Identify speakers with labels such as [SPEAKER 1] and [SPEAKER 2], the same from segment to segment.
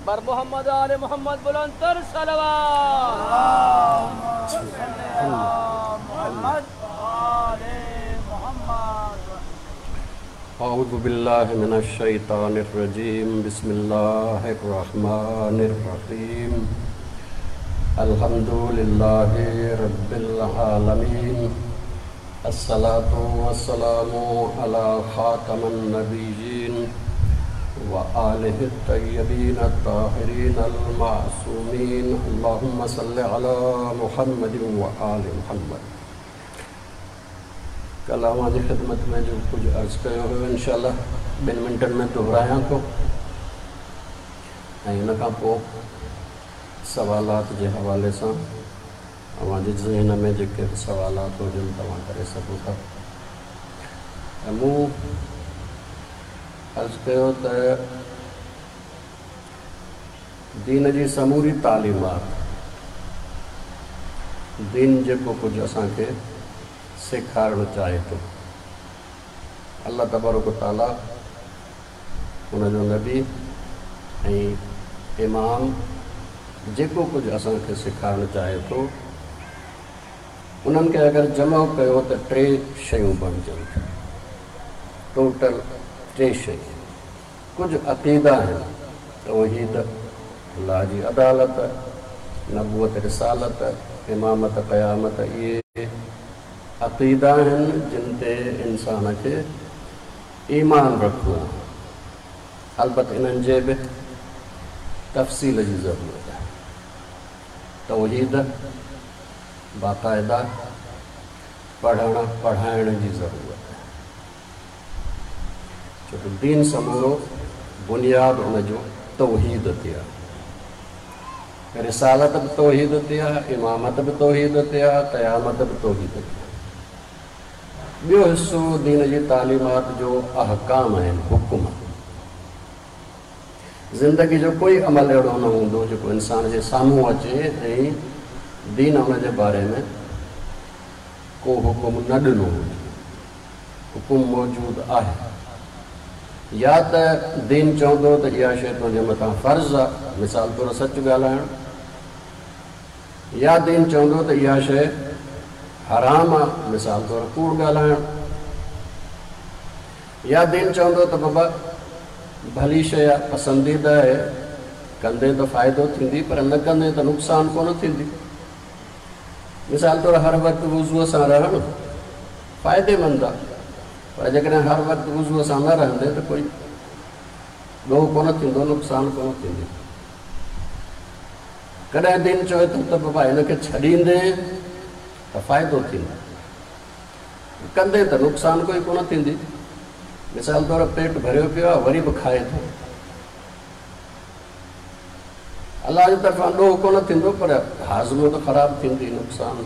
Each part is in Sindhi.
[SPEAKER 1] بر محمد آل محمد بلندتر صلوات.
[SPEAKER 2] اللهم صل علي محمد وآل محمد.
[SPEAKER 3] اعوذ بالله من الشيطان الرجيم بسم الله الرحمن الرحيم الحمد لله رب العالمين الصلاة والسلام علي خاتم النبيين وآله الطيبين الطاهرين المعصومين اللهم صل علي محمد وآل محمد. ڪلهه اوهان جي خدمت ۾ جو ڪجهه عرض ڪيو هيو انشاء الله ٻن منٽن ۾ دهرايان ٿو ۽ ان کان پوء سوالات جي حوالي سان اوهان جي ذهن ۾ جيڪي به سوالات هجن توهان ڪري سگهو ٿا ۽ مون عرض ڪيو ته دين جي سموري تعليمات، دين جيڪو ڪجهه اسان کي سيکارڻ چاهي ٿو، الله تبارڪ و تعاليٰ، ان جو نبي ۽ امام جيڪو ڪجهه اسان کي سيکارڻ چاهي ٿو، انهن کي اگر جمع ڪيو ته ٽي شيون بڻجن ٿيون. ٽوٽل ٽي شيون. ڪجهه عقيدا آهن، توحيد، الله جي عدالت، نبوت رسالت، امامت قيامت اهي عقيدا آهن جن تي انسان کي ايمان رکڻو آهي. البت انهن جي به تفصيل جي ضرورت آهي. توحيد باقاعده پڙهڻ پڙهائڻ جي ضرورت آهي. ڇو ته دين سمورو بنياد ان جو توحيد تي آهي. رسالت به توحيد تي آهي، امامت به توحيد تي آهي، قيامت به توحيد تي آهي. ٻيو حصو دين جي تعليمات جو احڪام آهن، حڪم. زندگي جو ڪوئي عمل اهڙو نه هوندو جيڪو انسان جي سامهون اچي ۽ دين ان جي باري ۾ ڪو حڪم نه ڏنو هجي. حڪم موجود آهي. يا ته دين چوندو ته اها شيء تنهنجي مٿان فرض آ، مثال طور سچ ڳالهائڻ، يا دين چوندو ته اها شيء حرام آ، مثال طور ڪوڙ ڳالهائڻ، يا دين چوندو ته بابا ڀلي شيء آ، پسنديده آهي، ڪندين ته فائدو ٿيندي پر نه ڪندين ته نقصان ڪونه ٿيندي. مثال طور هر وقت وضوء سان رهڻ فائديمند آ پر جيڪڏهن هر وقت وضوء سان نه رهندين ته ڪوئي ڏوهه ڪونه ٿيندو، نقصان ڪونه ٿيندي. ڪڏهن دين چوي ٿو ته بابا هن کي ڇڏيندين ته فائدو ٿيندو، ڪندين ته نقصان ڪوئي ڪونه ٿيندي. مثال طور پيٽ ڀريو پيو آهي وري به کائي ٿو، الله جي طرفان ڏوهه ڪونه ٿيندو پر هاضمو ته خراب ٿيندي، نقصان.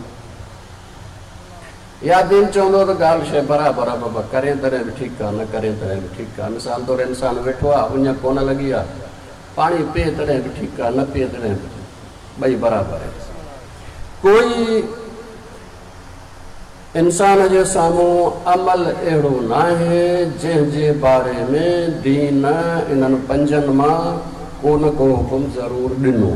[SPEAKER 3] يا دين چوندو ته ڳالهه شيء برابر آهي بابا ڪرين تڏهن به ٺيڪ آهي نه ڪرين تڏهن به ٺيڪ آهي. مثال طور انسان ويٺو آهي اڃ ڪونه لڳي آهي پاڻي پيئي تڏهن به ٺيڪ آهي نه پيئي تڏهن به ٻئي برابر آهن. ڪوئي انسان جي سامهون عمل اهڙو ناهي جنهن جي باري ۾ دين انهن پنجن مان ڪو نه ڪو حڪم ضرور ڏنو.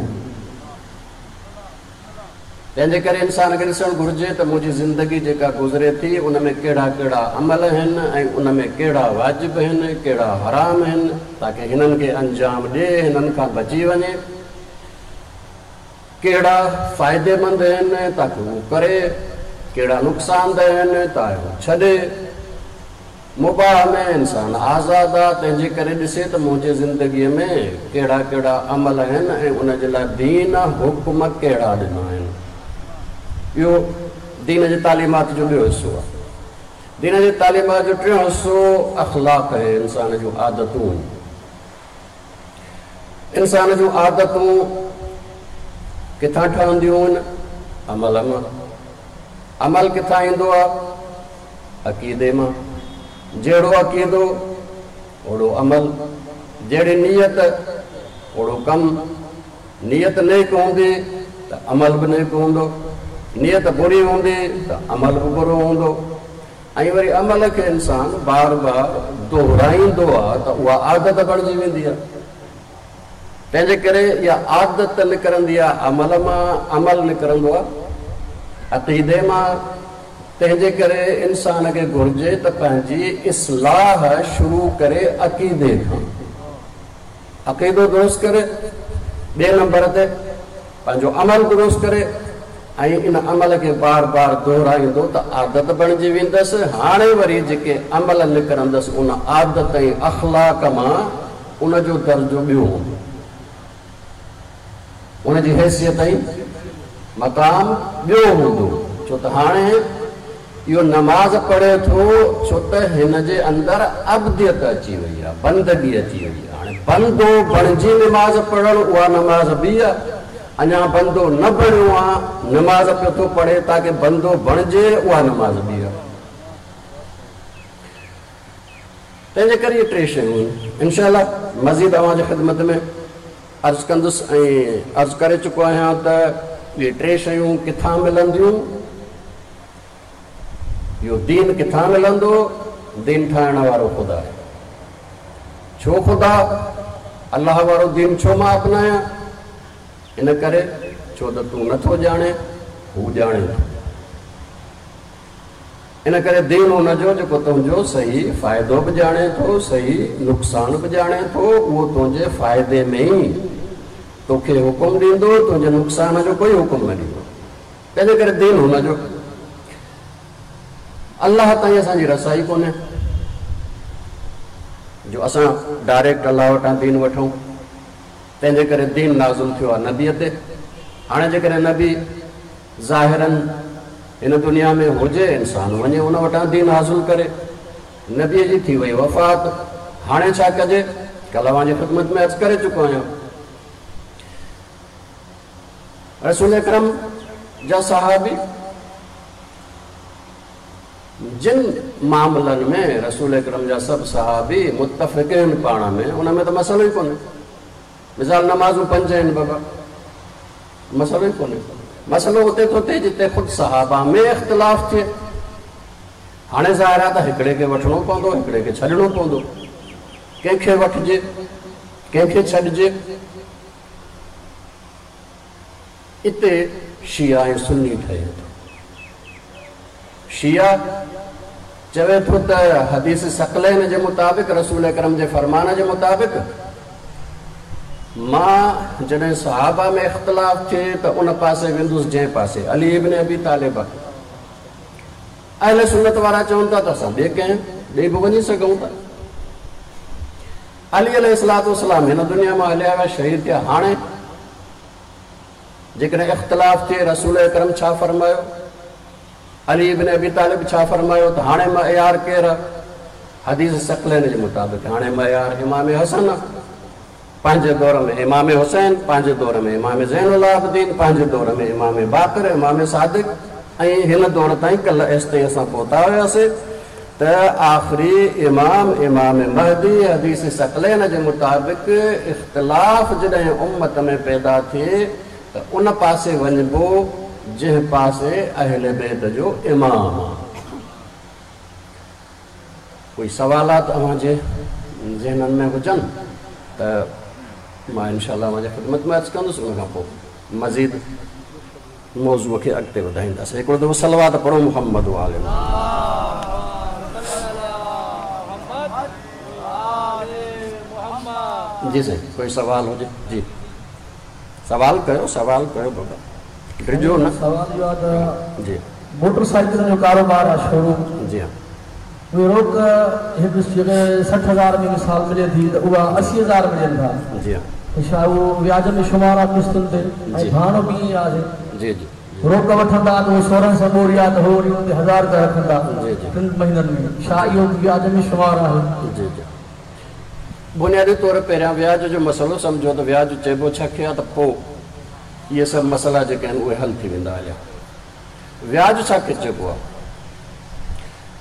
[SPEAKER 3] تنهن جي ڪري انسان کي ڏسڻ گهرجي ته منهنجي زندگي جيڪا گذري ٿي ان ۾ ڪهڙا ڪهڙا عمل آهن ۽ ان ۾ ڪهڙا واجب آهن ڪهڙا حرام آهن تاڪه هنن کي انجام ڏئي هنن کان بچي وڃي. ڪهڙا فائديمند آهن تاڪه هو ڪري، ڪهڙا نقصانده آهن تاهه هو ڇڏي. مباح ۾ انسان آزاد آ، تنهن جي ڪري ڏسي ته منهنجي زندگيء ۾ ڪهڙا ڪهڙا عمل آهن ۽ ان جي لاء دين حڪم ڪهڙا ڏنا آهن. اهو دين جي تعليمات جو ٻيو حصو آ. دين جي تعليمات جو ٽيون حصو اخلاق ۽ انسان جون عادتون آهن. انسان جون عادتون ڪٿان ٺهنديون آهن؟ عمل مان. عمل ڪٿان ايندو آهي؟ عقيدي مان. جهڙو عقيدو، اوڙو عمل. جهڙي نيت، اوڙو ڪم. نيت نيڪ هوندي ته عمل به نيڪ هوندو. نيت بري هوندي ته عمل به برو هوندو. ۽ وري عمل کي انسان بار بار دهرائيندو آ ته اها عادت بڻجي ويندي آ. تنهن جي ڪري اها عادت نڪرندي آهي عمل مان، عمل نڪرندو آهي عقيدي مان، تنهن جي ڪري انسان کي گهرجي ته پنهنجي اصلاح شروع ڪري عقيدي کان. عقيدو درست ڪري، ٻئي نمبر تي پنهنجو عمل درست ڪري ۽ ان عمل کي بار بار دهرائيندو ته عادت بڻجي ويندس، هاڻي وري جيڪي عمل نڪرندس ان عادت ۽ اخلاق مان ان جو درجو ٻيو هوندو، ان جي حيثيت ۽ مقام ٻيو هوندو، ڇو ته هاڻي اهو نماز پڙهي ٿو ڇو ته هن جي اندر عبديت اچي وئي آهي، بندگي اچي وئي آهي. هاڻي بندو بڻجي نماز پڙهڻ اها نماز ٻي آهي. اڃا بندو نه بڻيو آهي، نماز پيو ٿو پڙهي تاڪه بندو بڻجي اها نماز ٻي آهي. تنهن جي ڪري اهي ٽي شيون آهن. انشاء الله مزيد اوهان جي خدمت ۾ عرض ڪندس ۽ عرض ڪري چڪو آهيان ته اهي ٽي شيون ڪٿان ملنديون؟ اهو دين ڪٿان ملندو؟ دين ٺاهڻ وارو خدا آهي. ڇو خدا؟ الله وارو دين ڇو مان اپنايان؟ ان ڪري ڇو ته تون نٿو ڄاڻين، هو ڄاڻي ٿو. ان ڪري دين ان جو جيڪو تنهنجو صحيح فائدو به ڄاڻي ٿو، صحيح نقصان به ڄاڻي ٿو، اهو تنهنجي فائدي ۾ ئي توکي حڪم ڏيندو، تنهنجي نقصان جو ڪوئي حڪم نه ڏيندو. تنهنجي ڪري دين هن جو. الله تائين اسان جي رسائي ڪونهي جو اسان ڊائريڪٽ الله وٽان دين وٺون. تنهنجي ڪري دين نازل ٿيو آهي نبيء تي. هاڻي جيڪڏهن نبي ظاهراً هن دنيا ۾ هجي، انسان وڃي ان وٽان دين حاصل ڪري. نبيء جي ٿي وئي وفات، هاڻي ڇا ڪجي؟ ڪلهه اوهان جي خدمت ۾ عرض ڪري چڪو آهيان. رسول اڪرم جا صحابي جن معاملن ۾ رسول اڪرم جا سڀ صحابي متفق آهن پاڻ ۾، ان ۾ ته مسئلو ئي ڪونهي. مثال نمازون پنج آهن بابا، مسئلو ئي ڪونهي. مسئلو اتي ٿو ٿئي جتي خود صحابه ۾ اختلاف ٿئي. هاڻي ظاهر آهي ته هڪڙي کي وٺڻو پوندو، هڪڙي کي ڇڏڻو پوندو. ڪنهن کي وٺجي، ڪنهن کي ڇڏجي؟ اتي شيعا ۽ سني ٺهي ٿو. شيعا چوي ٿو ته حديث ثقلين جي مطابق رسول اڪرم جي فرمان جي مطابق مان جڏهن صحابه ۾ اختلاف ٿئي ته ان پاسي ويندس جنهن پاسي علي ابن ابي طالب آهي. اهل سنت وارا چون ٿا ته اسان ٻئي ڪنهن ڏي به وڃي سگهون ٿا. علي عليه الصلوة والسلام هن دنيا مان هليا ويا شهيد ٿيا هاڻي جيڪڏهن اختلاف ٿئي رسول اڪرم ڇا فرمايو علي ابن ابي طالب ڇا فرمايو ته هاڻي معيار ڪير آ؟ حديث ثقلين جي مطابق هاڻي معيار امام حسن آ. پنهنجي دور ۾ امام حسين، پنهنجي دور ۾ امام زين العابدين، پنهنجي دور ۾ امام باقر، امام صادق ۽ هن دور تائين ڪلهه ايستائين اسان پهتا هياسي ته آخري امام امام مهدي حديث ثقلين جي مطابق اختلاف جڏهن امت ۾ پيدا ٿئي ته ان پاسي وڃبو جنهن پاسي اهل بيت جو امام آ. ڪوئي سوالات اوهان جي ذهنن ۾ هجن ته مان انشاء الله اوهان جي خدمت ۾ عرض ڪندس ان کان پوء مزيد موضوع کي اڳتي وڌائينداسين. هڪڙو دفعو صلوات پڙهو محمد وآل محمد. جي سائين ڪوئي سوال هجي جي. سوال ڪيو سوال ڪيو بابا ڊڄو نه.
[SPEAKER 4] سوال اهو آهي ته
[SPEAKER 3] جي.
[SPEAKER 4] موٽر سائيڪلن جو ڪاروبار آهي شوروم.
[SPEAKER 3] جي ها.
[SPEAKER 4] اهي روڪ هڪ جيڪڏهن 60 هزار ۾ مثال ملي ٿي ته اها 80 هزار ۾ ڏين ٿا.
[SPEAKER 3] جي ها.
[SPEAKER 4] ته ڇا اهو وياج ۾ شمار آهي قسطن تي ۽
[SPEAKER 3] جي.
[SPEAKER 4] ڀاڻو به ائين آهي.
[SPEAKER 3] جي جي.
[SPEAKER 4] روڪ وٺندا ته اهو سورهن سئو ٻوري آهي ته هو وري ان تي هزار رپيا رکندا
[SPEAKER 3] جي جي.
[SPEAKER 4] ٽن مهينن ۾. ڇا اهو به وياج ۾ شمار آهي؟
[SPEAKER 3] جي جي. بنيادي طور پهريان وياج جو مسئلو سمجهو ته وياج چئبو ڇا کي آهي ته پوء اهي سڀ مسئلا جيڪي آهن اهي حل ٿي ويندا هليا. وياج ڇا کي چئبو آهي؟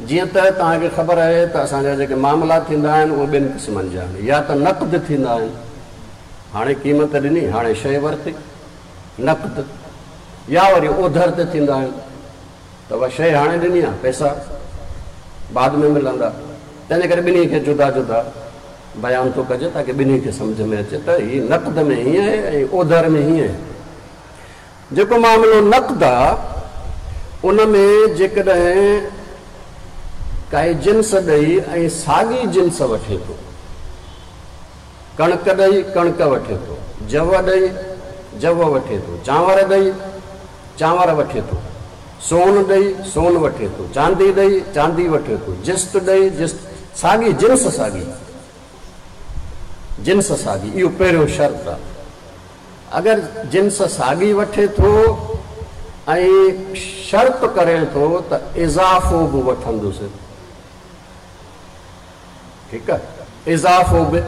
[SPEAKER 3] جيئن ته توهان کي خبر آهي ته اسان جا جيڪي معاملا ٿيندا آهن اهي ٻن قسمن جا آهن يا ته نقد ٿيندا آهن هاڻي قيمت ڏني هاڻي شيء ورتي نقد يا وري اوڌر تي ٿيندا آهن ته اها شيء هاڻي ڏني آهي پئسا بعد ۾ ملندا تنهنجي ڪري ٻنهي کي جدا جدا بيان ٿو ڪجي تاڪه ٻنهي کي سمجهه ۾ اچي ته هي نقد ۾ هيئن آهي ۽ اوڌر ۾ هيئن آهي. جيڪو معاملو نقد آ ان ۾ جيڪڏهن ڪائي جنس ڏئي ۽ ساڳي جنس وٺي ٿو، ڪڻڪ ڏئي ڪڻڪ وٺي ٿو، جو ڏئي جو وٺي ٿو، چانور ڏئي چانور وٺي ٿو، سون ڏئي سون وٺي ٿو، چاندي ڏئي چاندي وٺي ٿو، جست ڏئي جست، ساڳي جنس ساڳي جنس ساڳي اهو پهريون شرط آ. اگر جنس ساڳي وٺي ٿو ۽ شرط ڪري ٿو ته اضافو به وٺندس، ٺيڪ آ، اضافو به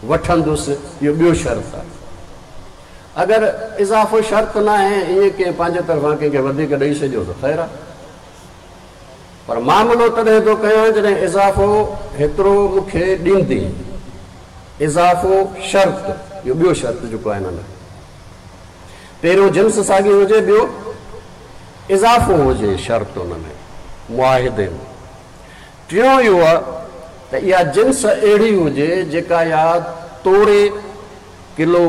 [SPEAKER 3] وٺندس اهو ٻيو شرط آ. اگر اضافو شرط ناهي ائين ڪنهن پنهنجي طرفان ڪنهن کي وڌيڪ ڏئي ڇڏيو ته خير آ، پر معاملو تڏهن ٿو ڪيان جڏهن اضافو هيترو مون کي ڏيندين. اضافو شرط، اهو ٻيو شرط جيڪو آهي ان ۾. پهريون جنس ساڳي هجي ٻيو اضافو هجي شرط ان ۾ معاهدي ۾. ٽيون اهو آهي ته اها جنس اهڙي هجي جيڪا يا توري ڪلو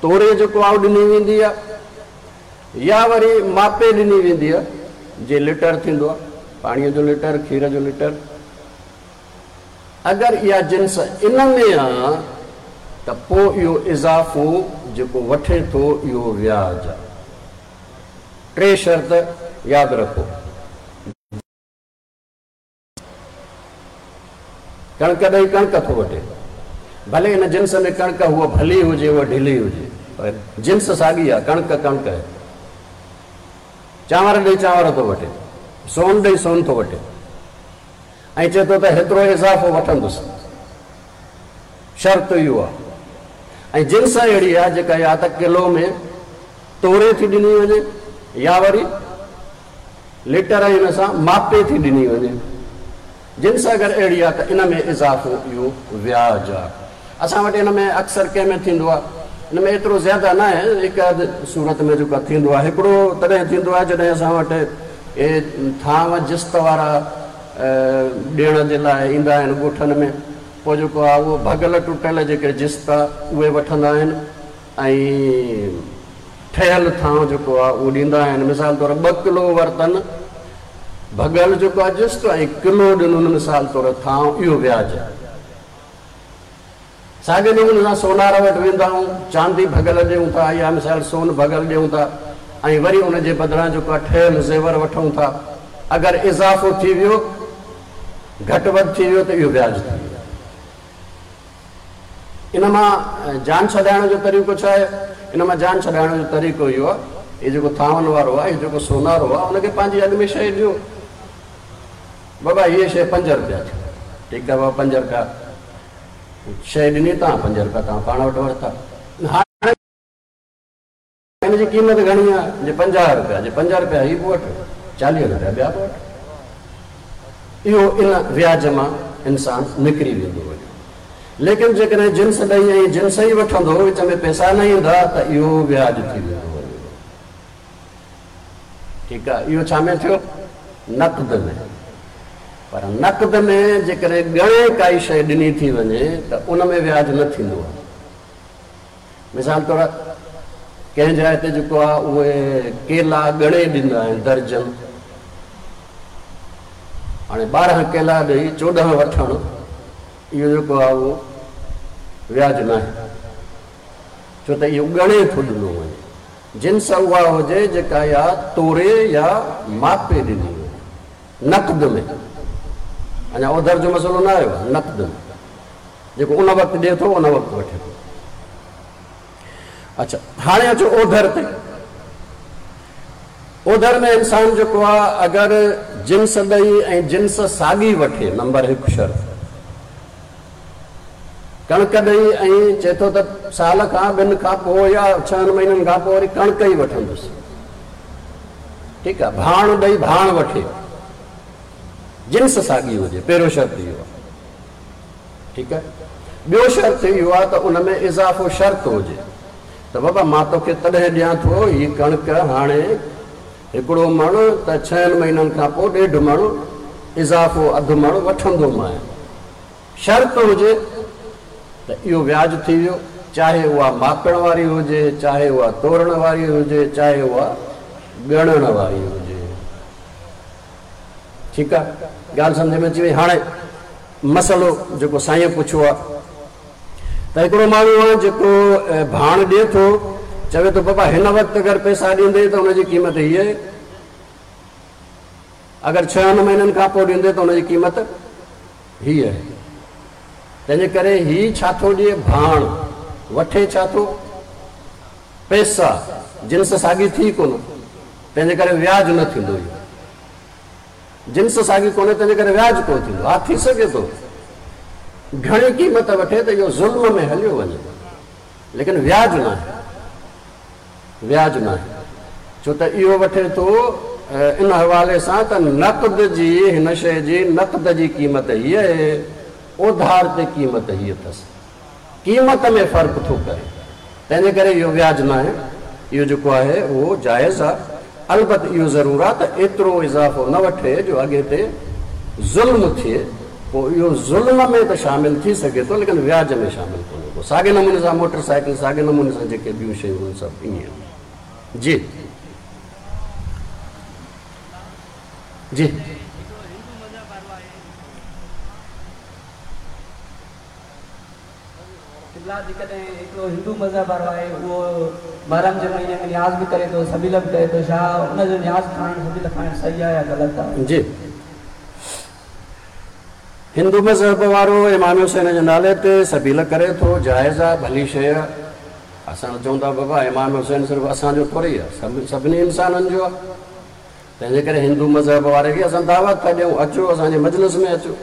[SPEAKER 3] توري جيڪو آهي اهو ڏني ويندي آهي يا وري ماپي ڏني ويندي آهي جي لٽر ٿيندو آهي پاڻيء جو لٽر کير جو لٽر. اگر اها جنس ان ۾ آ ته پوء اهو اضافو جيڪو وٺي ٿو اهو وياج آ. ٽي شرط ياد رکو. ڪڻڪ ڏئي ڪڻڪ ٿو وٺي. ڀلي ان جنس ۾ ڪڻڪ هوء ڀلي هجي هوء ڍلي هجي پر جنس ساڳي آ، ڪڻڪ ڪڻڪ آهي. چانور ڏئي چانور ٿو وٺي. سون ڏئي سون ٿو وٺي. ۽ چئي ٿو ته هيترو اضافو وٺندس. شرط اهو آهي ۽ جنس اهڙي آهي جيڪا يا ته ڪلو ۾ توري ٿي ڏني وڃي يا وري ليٽر ۽ ان سان ماپي ٿي ڏني وڃي. جنس اگر اهڙي آهي ته ان ۾ اضافو اهو وياج آهي. اسان وٽ ان ۾ اڪثر ڪنهن ۾ ٿيندو آهي؟ ان ۾ ايترو زياده ناهي، هڪ اڌ صورت ۾ جيڪو آهي ٿيندو آهي. هڪڙو تڏهن ٿيندو آهي جڏهن اسان وٽ اهي ٿانو جست وارا ڏيڻ جي لاء ايندا آهن ڳوٺن ۾ پوء جيڪو آهي اهو ڀڳل ٽٽل جيڪي جست آهي اهي وٺندا آهن ۽ ٺهيل ٿانو جيڪو آهي اهو ڏيندا آهن. مثال طور ٻه ڪلو ورتن ڀڳل جيڪو آهي جست ۽ ڪلو ڏنن مثال طور ٿانو اهو وياج آهي. ساڳئي نموني سان سونار وٽ ويندا آهيون، چاندي ڀڳل ڏيون ٿا يا مثال سون ڀڳل ڏيون ٿا ۽ وري ان جي بدران جيڪو آهي ٺهيل زيور وٺون ٿا. اگر اضافو ٿي ويو، گهٽ وڌ ٿي ويو ته اهو وياج ٿي ويو. ان مان جان ڇڏائڻ جو طريقو ڇا آهي؟ ان مان جان ڇڏائڻ جو طريقو اهو آهي، هي جيڪو ٿانون وارو آهي، هي جيڪو سونارو آهي، ان کي پنهنجي اڳ ۾ شيء ڏيو. بابا هيء شيء پنج رپيا ٿي. ٺيڪ آهي بابا پنج رپيا. شيء ڏني تان پنج رپيا توهان پاڻ وٽ ورتا. هاڻي هن جي قيمت گهڻي آهي؟ جي 50 رپيا. جي 5 رپيا هي به وٺ، 40 رپيا ٻيا به وٺ. اهو ان وياج مان انسان نڪري ويندو وڃي. ليڪن جيڪڏهن جنس ڏئي ۽ جنس ئي وٺندو، وچ ۾ پئسا نه ايندا ته اهو وياج ٿي ويندو وڃي. ٺيڪ آ، اهو ڇا ۾ ٿيو؟ نقد ۾. پر نقد ۾ جيڪڏهن ڳڻي ڪائي شيء ڏني ٿي وڃي ته ان ۾ وياج نه ٿيندو آهي. مثال طور ڪنهن جاء تي جيڪو آ اهي ڪيلا ڳڻي ڏيندا آهن درجن. هاڻي 12 ڪيلا ڏئي 14 وٺڻ اهو جيڪو آ اهو وياج ناهي، ڇو ته اهو ڳڻي ٿو ڏنو وڃي. جنس اها هجي جيڪا يا توري يا ماپي ڏني وڃي، نقد ۾، اڃا اوڌر جو مسئلو نه آيو آهي، نقد ۾ جيڪو ان وقت ڏئي ٿو ان وقت وٺي ٿو. اڇا هاڻي اچو اوڌر تي. اوڌر ۾ انسان جيڪو آهي اگر جنس ڏئي ۽ جنس ساڳي وٺي، نمبر هڪ شرط، ڪڻڪ ڏئي ۽ چئي ٿو ته سال کان ٻن کان پوء يا ڇهن مهينن کان پوء وري ڪڻڪ ئي وٺندس. ٺيڪ آهي، ڀاڻ ڏئي ڀاڻ وٺي، جنس ساڳي هجي، پهريون شرط اهو آهي. ٺيڪ آهي، ٻيو شرط اهو آهي ته ان ۾ اضافو شرط هجي ته بابا مان توکي تڏهن ڏيان ٿو هي ڪڻڪ هاڻي هڪڙو مڻ ته ڇهن مهينن کان پوء ڏيڍ مڻ اضافو اڌ مڻ وٺندومانء. شرط هجي ته اهو وياج ٿي ويو، چاهي اها ماپڻ واري هجي، چاهي اها تورڻ واري هجي، چاهي اها ڳڻڻ واري هجي. ٺيڪ آ، ڳالهه سمجهه ۾ اچي وئي. هاڻي مسئلو جيڪو سائينء پڇيو آ ته هڪڙو ماڻهو آ جيڪو ڀاڻ ڏئي ٿو، چوي ٿو بابا هن وقت اگر پئسا ڏيندين ته ان جي قيمت هيء آهي، اگر ڇهن مهينن کان پوء ڏيندين ته ان جي قيمت هيء آهي. تنهنجي ڪري هي ڇا ٿو ڏئي؟ ڀاڻ. وٺي ڇا ٿو؟ پئسا. جنس ساڳي ٿي ڪونه، تنهنجي ڪري وياج نه ٿيندو. اهو جنس ساڳي ڪونهي، تنهنجي ڪري وياج ڪونه ٿيندو. ها ٿي سگهي ٿو گهڻي قيمت وٺي ته اهو ظلم ۾ هليو وڃي، ليڪن وياج ناهي. وياج ناهي، ڇو ته اهو وٺي ٿو ان حوالي سان ته نقد جي هن شيء جي نقد جي قيمت هيء آهي، اوڌار تي قيمت هيء اٿس. قيمت ۾ فرق ٿو ڪري، تنهن جي ڪري اهو وياج ناهي، اهو جيڪو آهي اهو جائز آهي. البت اهو ضرور آهي ته ايترو اضافو نه وٺي جو اڳي تي ظلم ٿئي. پوء اهو ظلم ۾ ته شامل ٿي سگهي ٿو ليڪن وياج ۾ شامل ڪونهي ڪو. ساڳي نموني سان موٽر سائيڪل ساڳي نموني سان جيڪي ٻيون شيون آهن سڀ ائين آهن. جي جي.
[SPEAKER 1] قبلا جيڪڏهن هڪڙو هندو مذهب وارو آهي اهو محرم جي مهيني ۾ نياز به ڪري ٿو سبيل به ڪري ٿو ڇا ان جو نياز کائڻ سبيل کائڻ صحيح آهي يا غلط آهي؟
[SPEAKER 3] جي. هندو مذهب وارو امام حسين جي نالي تي سبيل ڪري ٿو، جائز آ، ڀلي شيء آ. اسان ته چئون ٿا بابا امام حسين صرف اسان جو ٿوري آ، سڀني انسانن جو آ. تنهن جي ڪري هندو مذهب واري کي اسان دعوت ٿا ڏيون، اچو اسان جي مجلس ۾ اچو،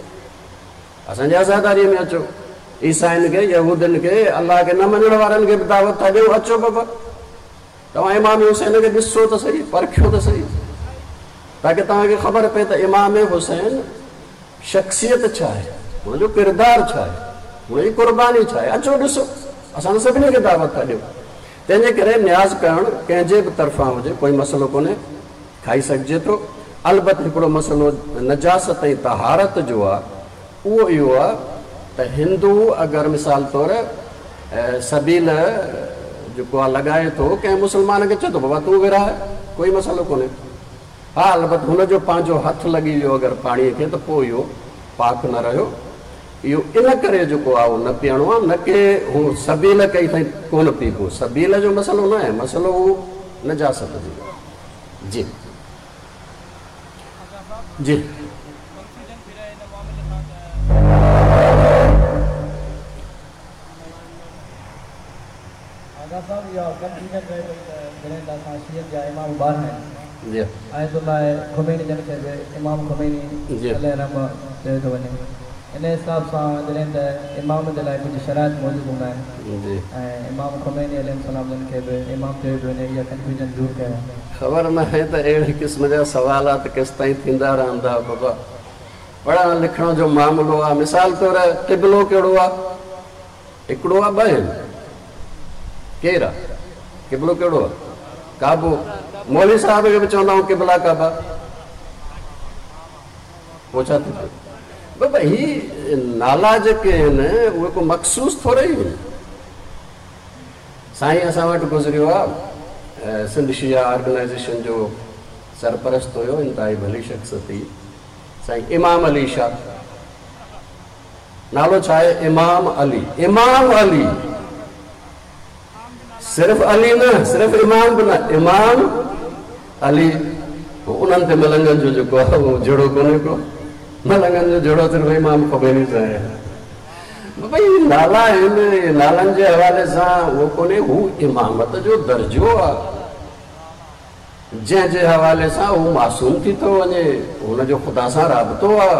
[SPEAKER 3] اسان جي عزاداري ۾ اچو. عيسائين کي، يهودين کي، الله کي نه مڃڻ وارن کي به دعوت ٿا ڏيون، اچو بابا. توهان امام حسين کي ڏسو ته سهي، پرکيو ته سهي، تاڪه توهان کي خبر پئي ته امام حسين شخصيت ڇا آهي، هن جو ڪردار ڇا آهي، هن جي قرباني ڇا آهي. اچو ڏسو، اسان ته سڀني کي دعوت ٿا ڏيون. تنهن جي ڪري نياز ڪرڻ ڪنهن جي به طرفان هجي ڪوئي مسئلو ڪونهي، کائي سگهجي ٿو. البت هڪڙو مسئلو نجاست ۽ طهارت جو آهي، اهو اهو آهي ته هندو اگر مثال طور سبيل جيڪو آهي لڳائي ٿو ڪنهن مسلمان کي چئي ٿو بابا تون ورهاء ڪوئي مسئلو ڪونهي ها البت هن جو پنهنجو هٿ لڳي ويو اگر پاڻي کي ته پوء اهو پاڪ نه رهيو اهو ان ڪري جيڪو آهي اهو نه پيئڻو آهي نه ڪي هو سبيل ڪئي اٿائين ڪونه پيئبو سبيل جو مسئلو نه آهي مسئلو هو نجاست جو جي جي.
[SPEAKER 1] آغا صاحب اها ڪنفيوزن رهي پئي ته جڏهن ته اسان شيعن جا امام 12 آهن
[SPEAKER 3] جي.
[SPEAKER 1] آيت الله خميني جن کي به امام خميني
[SPEAKER 3] جي.
[SPEAKER 1] عليه الرحمه چيو ٿو وڃي ان حساب سان جڏهن ته امام جي لاء ڪجهه شرائط موجود هوندا آهن
[SPEAKER 3] جي.
[SPEAKER 1] ۽ امام خميني عليه السلام جن کي به امام چيو پيو وڃي اها ڪنفيوزن دور ڪيو.
[SPEAKER 3] خبر ناهي ته اهڙي قسم جا سوالات ڪيستائين ٿيندا رهندا بابا. پڙهڻ لکڻ جو معاملو آ. مثال طور قبلو ڪهڙو آ؟ هڪڙو آ ٻه آهن؟ ڪير آ؟ قبلو ڪهڙو آ؟ ڪعبو. مولوي صاحب کي به چوندا آهيون قبلا ڪعبا. پوء ڇا ٿي پيو؟ بابا هي نالا جيڪي آهن اهي ڪو مخصوص ٿوري ئي آهن. سائين اسان وٽ گذريو آ سنڌ شيعا آرگنائيزيشن جو سرپرست هيو انتهائي ڀلي شخصيت هئي. سائين امام علي شاھ نالو ڇا آهي امام علي امام علي صرف علي نه صرف امام به نه امام علي انهن تي ملنگن جو جيڪو آهي اهو جهڙو ڪونهي ڪو ملنگن جو جهڙو صرف امام خميني سان آهي ڀئي نالا آهن نالن جي حوالي سان اهو ڪونهي هو امامت جو درجو آهي جنهن جي حوالي سان هو معصوم ٿي ٿو وڃي، هن جو خدا سان رابطو آ،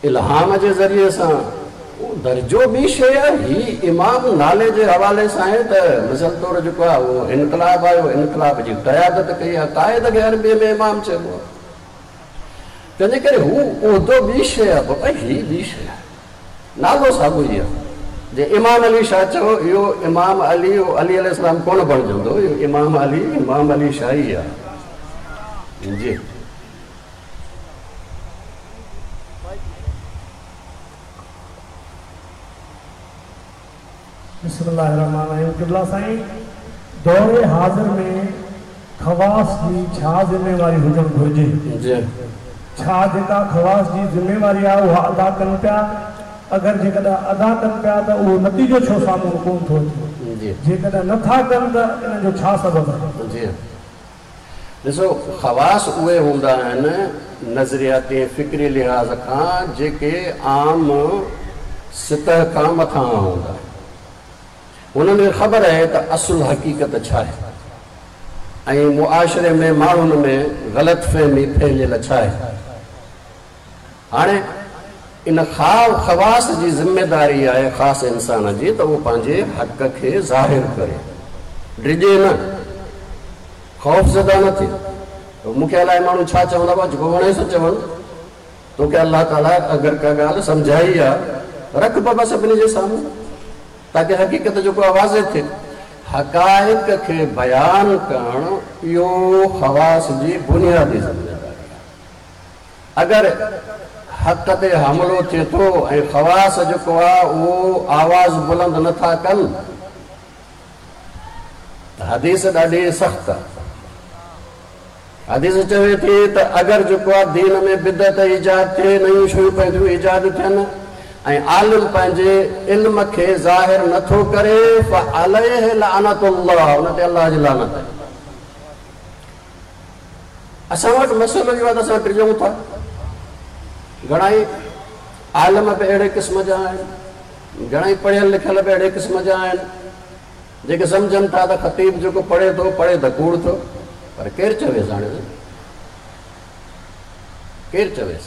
[SPEAKER 3] الهام جي ذريعي سان، اهو درجو ٻي شيء آ، هي امام نالي جي حوالي سان آهي ته مثال طور جيڪو آ اهو انقلاب آيو، انقلاب جي قيادت ڪئي آ، قائد کي عربيء ۾ امام چئبو آ، تنهنجي ڪري هو عهدو ٻي شيء آ بابا هي ٻي شيء آ. نالو ساڳيو ئي آهي. جي امام علي شاهه چئو اهو امام علي اهو علي عليه السلام ڪونه بڻجندو اهو امام علي امام علي شاهه ئي آهي. جي.
[SPEAKER 4] بسم الله الرحمٰن الرحيم قبلا سائين دور حاضر ۾ خواص جي ڇا ذميواري هجڻ گهرجي؟
[SPEAKER 3] جي.
[SPEAKER 4] ڇا جيڪا خواص جي ذميواري آهي اها ادا ڪن پيا؟ اگر جيڪڏهن ادا ڪن پيا ته اهو نتيجو ڇو سامهون ڪونه ٿو اچي؟
[SPEAKER 3] جي.
[SPEAKER 4] جيڪڏهن نه ٿا ڪن ته ان جو ڇا سبب آهي؟
[SPEAKER 3] جي. ڏسو خواص اهي هوندا آهن نظرياتي ۽ فڪري لحاظ کان جيڪي عام سطح کان مٿانهان هوندا آهن. هنن کي خبر آهي ته اصل حقيقت ڇا آهي ۽ معاشري ۾ ماڻهن ۾ غلط فهمي ڦهليل ڇا آهي. هاڻي ان خواص جي ذميداري آهي خاص انسان جي ته اهو پنهنجي حق کي ظاهر ڪري، ڊڄي نه، خوف زده نه ٿئي. مون کي الائي ماڻهو ڇا چوندا، بابا جيڪو وڻي سو چون، توکي الله تعاليٰ اگر ڪا ڳالهه سمجهائي آ، رک بابا سڀني جي سامهون تاڪه حقيقت جيڪو آ واضح ٿئي. حقائق کي بيان ڪرڻ اهو خواص جي بنيادي ذميداري آ. اگر حق تي حملو ٿئي ٿو ۽ خواص جيڪو آ اهو آواز بلند نه ٿا ڪن ته حديث ڏاڍي سخت آ. حديث چوي ٿي ته اگر جيڪو آ دين ۾ بدعت ايجاد ٿئي، نيون شيون پنهنجون ايجاد ٿين ۽ عالم پنهنجي علم کي ظاهر نه ٿو ڪري فعليه لعنت الله ان تي الله جي لعنت آهي. اسان وٽ مسئلو اهو آهي ته اسان ڊڄون ٿا. گهڻائي عالم به اهڙي قسم جا آهن، گهڻائي پڙهيل لکيل به اهڙي قسم جا آهن، جيڪي سمجهن ٿا ته خطيب جيڪو پڙهي ٿو، پڙهي ته ڪوڙ ٿو، پر ڪير چويس هاڻي ڪير چويس؟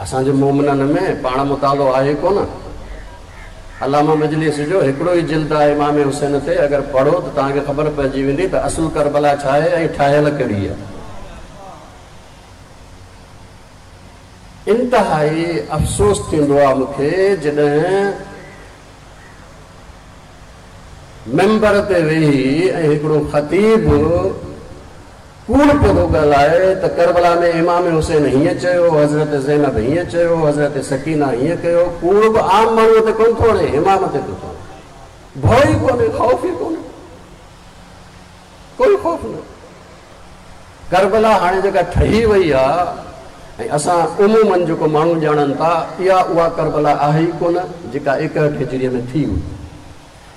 [SPEAKER 3] اسان جي مومنن ۾ پاڻ مطالعو آهي ڪونه. علامه مجلسي جو هڪڙو ئي جلد آهي امام حسين تي، اگر پڙهو ته توهان کي خبر پئجي ويندي ته اصل ڪربلا ڇا آهي ۽ ٺاهيل ڪهڙي آهي. انتهائي افسوس ٿيندو آهي مون کي جڏهن منبر تي ويهي ۽ هڪڙو خطيب ڪوڙ پيو ٿو ڳالهائي ته ڪربلا ۾ امام حسين هيئن چيو، حضرت زينب هيئن چيو، حضرت سڪينه هيئن ڪيو، ڪوڙ به عام ماڻهوء تي ڪونه ٿو هڻي، امام تي ٿو هڻي. ڀؤ ئي ڪونهي، خوف ئي ڪونهي، ڪوئي خوف نه. ڪربلا هاڻي جيڪا ٺهي وئي آ ۽ اسان عموماً جيڪو ماڻهو ڄاڻن ٿا، اها اها ڪربلا آهي ئي ڪونه جيڪا ايڪهٺ هجريء ۾ ٿي هئي.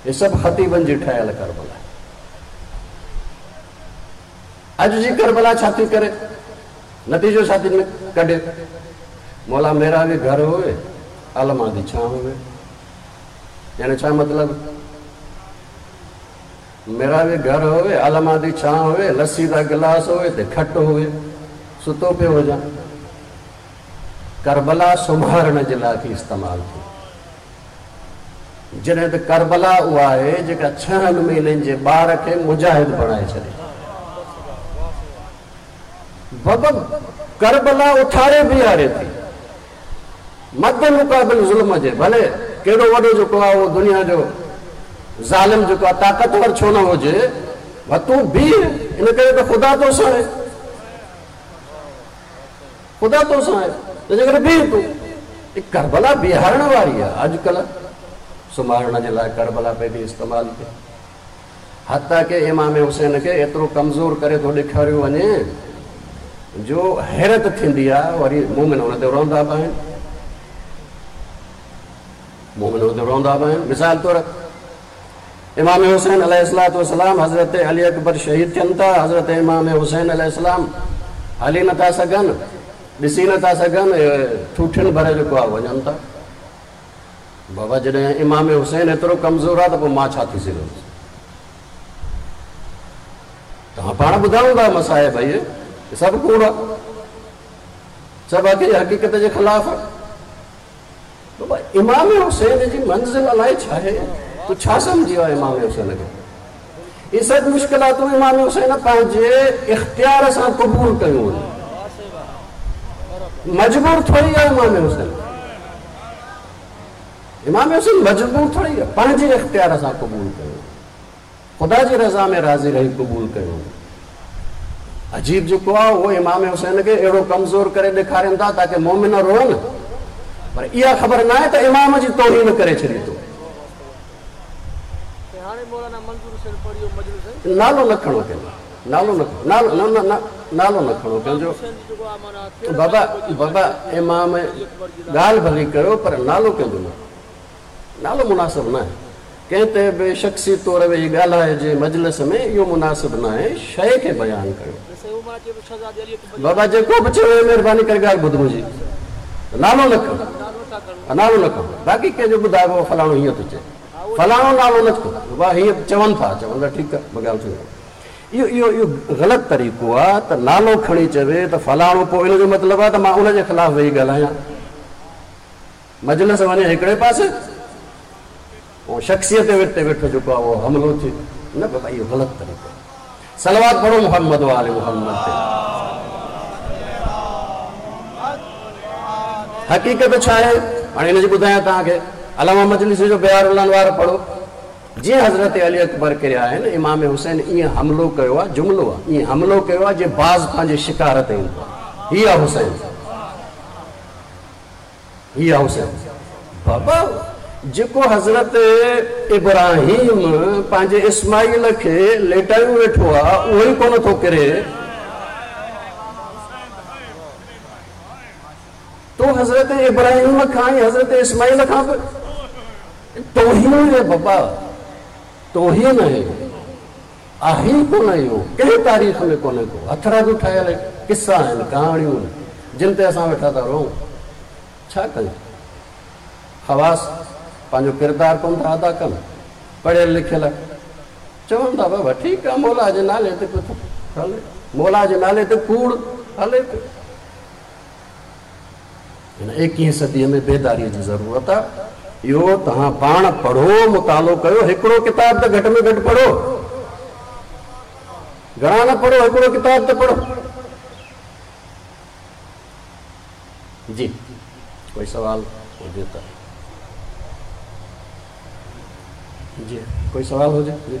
[SPEAKER 3] هي سڀ خطيبن جي ٺاهيل ڪربلا آهي. اڄ جي ڪربلا ڇا ٿي ڪري؟ نتيجو ڇا ٿي ڪڍي؟ مولا ميرا به گهر هوئي، عالمان the ڇانء هوئي. يعني ڇا مطلب؟ ميرا به گهر هوئي، عالمان the ڇانء هوئي، لسي دا گلاس هوئي ته کٽ هوئي، ستو پيو هجان. ڪربلا سمهارڻ جي لاء ٿي استعمال ٿئي. جڏهن ته ڪربلا اها آهي جيڪا ڇهن مهينن جي ٻار کي مجاهد بڻائي ڇڏي. بابا ڪربلا اٿاري بيهاري ٿي مد مقابل ظلم جي، ڀلي ڪيڏو وڏو جيڪو آهي اهو دنيا جو ظالم جيڪو آهي طاقتور ڇو نه هجي، پر تون بيهه ان ڪري ته خدا توسان آهي. خدا تو سان آهي تنهنجي ڪري بيهه تون. هي ڪربلا بيهارڻ واري آهي. اڄ ڪلهه سمهارڻ جي لاء ڪربلا پئي ٿي استعمال ٿئي. حتيٰ ڪه امام حسين کي ايترو ڪمزور ڪري ٿو ڏيکاريو وڃي جو حيرت ٿيندي آهي. وري مومن ان تي روندا به آهن. مومن ان تي روندا به آهن. مثال طور امام حسين عليه الصلوة والسلام حضرت علي اڪبر شهيد ٿين ٿا، حضرت امام حسين عليه السلام هلي نه ٿا سگهن، ڏسي نه ٿا سگهن، ٺوٺين ڀر جيڪو آهي وڃن ٿا. بابا جڏهن امام حسين ايترو ڪمزور آهي ته پوء مان ڇا ٿي سگهندس؟ توهان پاڻ ٻڌايو ٿا مصائب اهي سڀ ڪوڙ آهي، سڀ حقيقت جي خلاف آهي. بابا امام حسين جي منزل الائي ڇا آهي؟ تون ڇا سمجهي ويو آهين امام حسين کي؟ هي سڀ مشڪلاتون امام حسين پنهنجي اختيار سان قبول ڪيون آهن. مجبور ٿوري آهي امام حسين. امام حسين مجبور ٿوري آهي، پنهنجي اختيار سان قبول ڪيون. خدا جي رضا ۾ راضي رهي قبول ڪيو. عجيب جيڪو آهي اهو امام حسين کي اهڙو ڪمزور ڪري ڏيکارين ٿا تاڪه مومن روئن، پر اها خبر ناهي ته امام جي توهين ڪري ڇڏي تو. نالو نه کڻو ڪنهن جو نالو نه نالو نه نه نه نالو نه کڻو ڪنهن جو بابا بابا امام ڳالهه ڀلي ڪيو پر نالو ڪنهن جو نه نالو مناسب ناهي ڪنهن تي به شخصي طور ويهي ڳالهائجي مجلس ۾ اهو مناسب ناهي شيء کي بيان ڪيو بابا جيڪو به چوي مهرباني ڪري ڳالهه ٻڌ منهنجي نالو نه کڻ نالو نه کڻ باقي ڪنهن جو ٻڌائبو فلاڻو هيئن ٿو چئي فلاڻو نالو نه کڻ بابا هيئن چون ٿا چون ٿا ٺيڪ آهي مان ڳالهه سمجهان اهو اهو اهو غلط طريقو آهي ته نالو کڻي چوي ته فلاڻو پوء ان جو مطلب آهي ته مان ان جي خلاف ويهي ڳالهايان مجلس وڃي هڪڙي پاسي ۽ شخصيت تي ويٺو جيڪو آهي اهو حملو ٿئي نه بابا اهو غلط طريقو آهي صلوات پڙهو محمد وآل محمد تي حقيقت ڇا آهي هاڻي هن جي ٻڌايان توهان کي علامه مجلسي جو بحار الانوار پڙهو جيئن حضرت علي اڪبر ڪريا آهن امام حسين ائين حملو ڪيو آهي جملو آهي ائين حملو ڪيو آهي جيئن باز پنهنجي شڪار تي ايندو آهي هي آهي حسين هي آ حسين بابا جيڪو حضرت ابراهيم پنهنجي اسماعيل کي ليٽايون ويٺو آ اهو ئي ڪونه ٿو ڪري تو حضرت ابراهيم کان ۽ حضرت اسماعيل کان به توهين آهي بابا توهين آهي آهي ئي ڪونه اهو ڪنهن تاريخ ۾ ڪونهي ڪو هٿرادو ٺاهيل قصا آهن ڪهاڻيون آهن جن تي اسان ويٺا ٿا روئون ڇا ڪيون خواص پنهنجو ڪردار ڪونه ٿا ادا ڪن پڙهيل لکيل چون ٿا بابا ٺيڪ آهي مولا جي نالي تي پيو ٿو هلي مولا جي نالي تي ڪوڙ هلي پيو هن ايڪيهين صديء ۾ بيداريء جي ضرورت آ. اهو توهان پاڻ پڙهو، مطالعو ڪيو، هڪڙو ڪتاب ته گهٽ ۾ گهٽ پڙهو. گهڻا نه پڙهو، هڪڙو ڪتاب ته پڙهو. جي ڪوئي سوال هجي ته. جي ڪوئي سوال هجي جي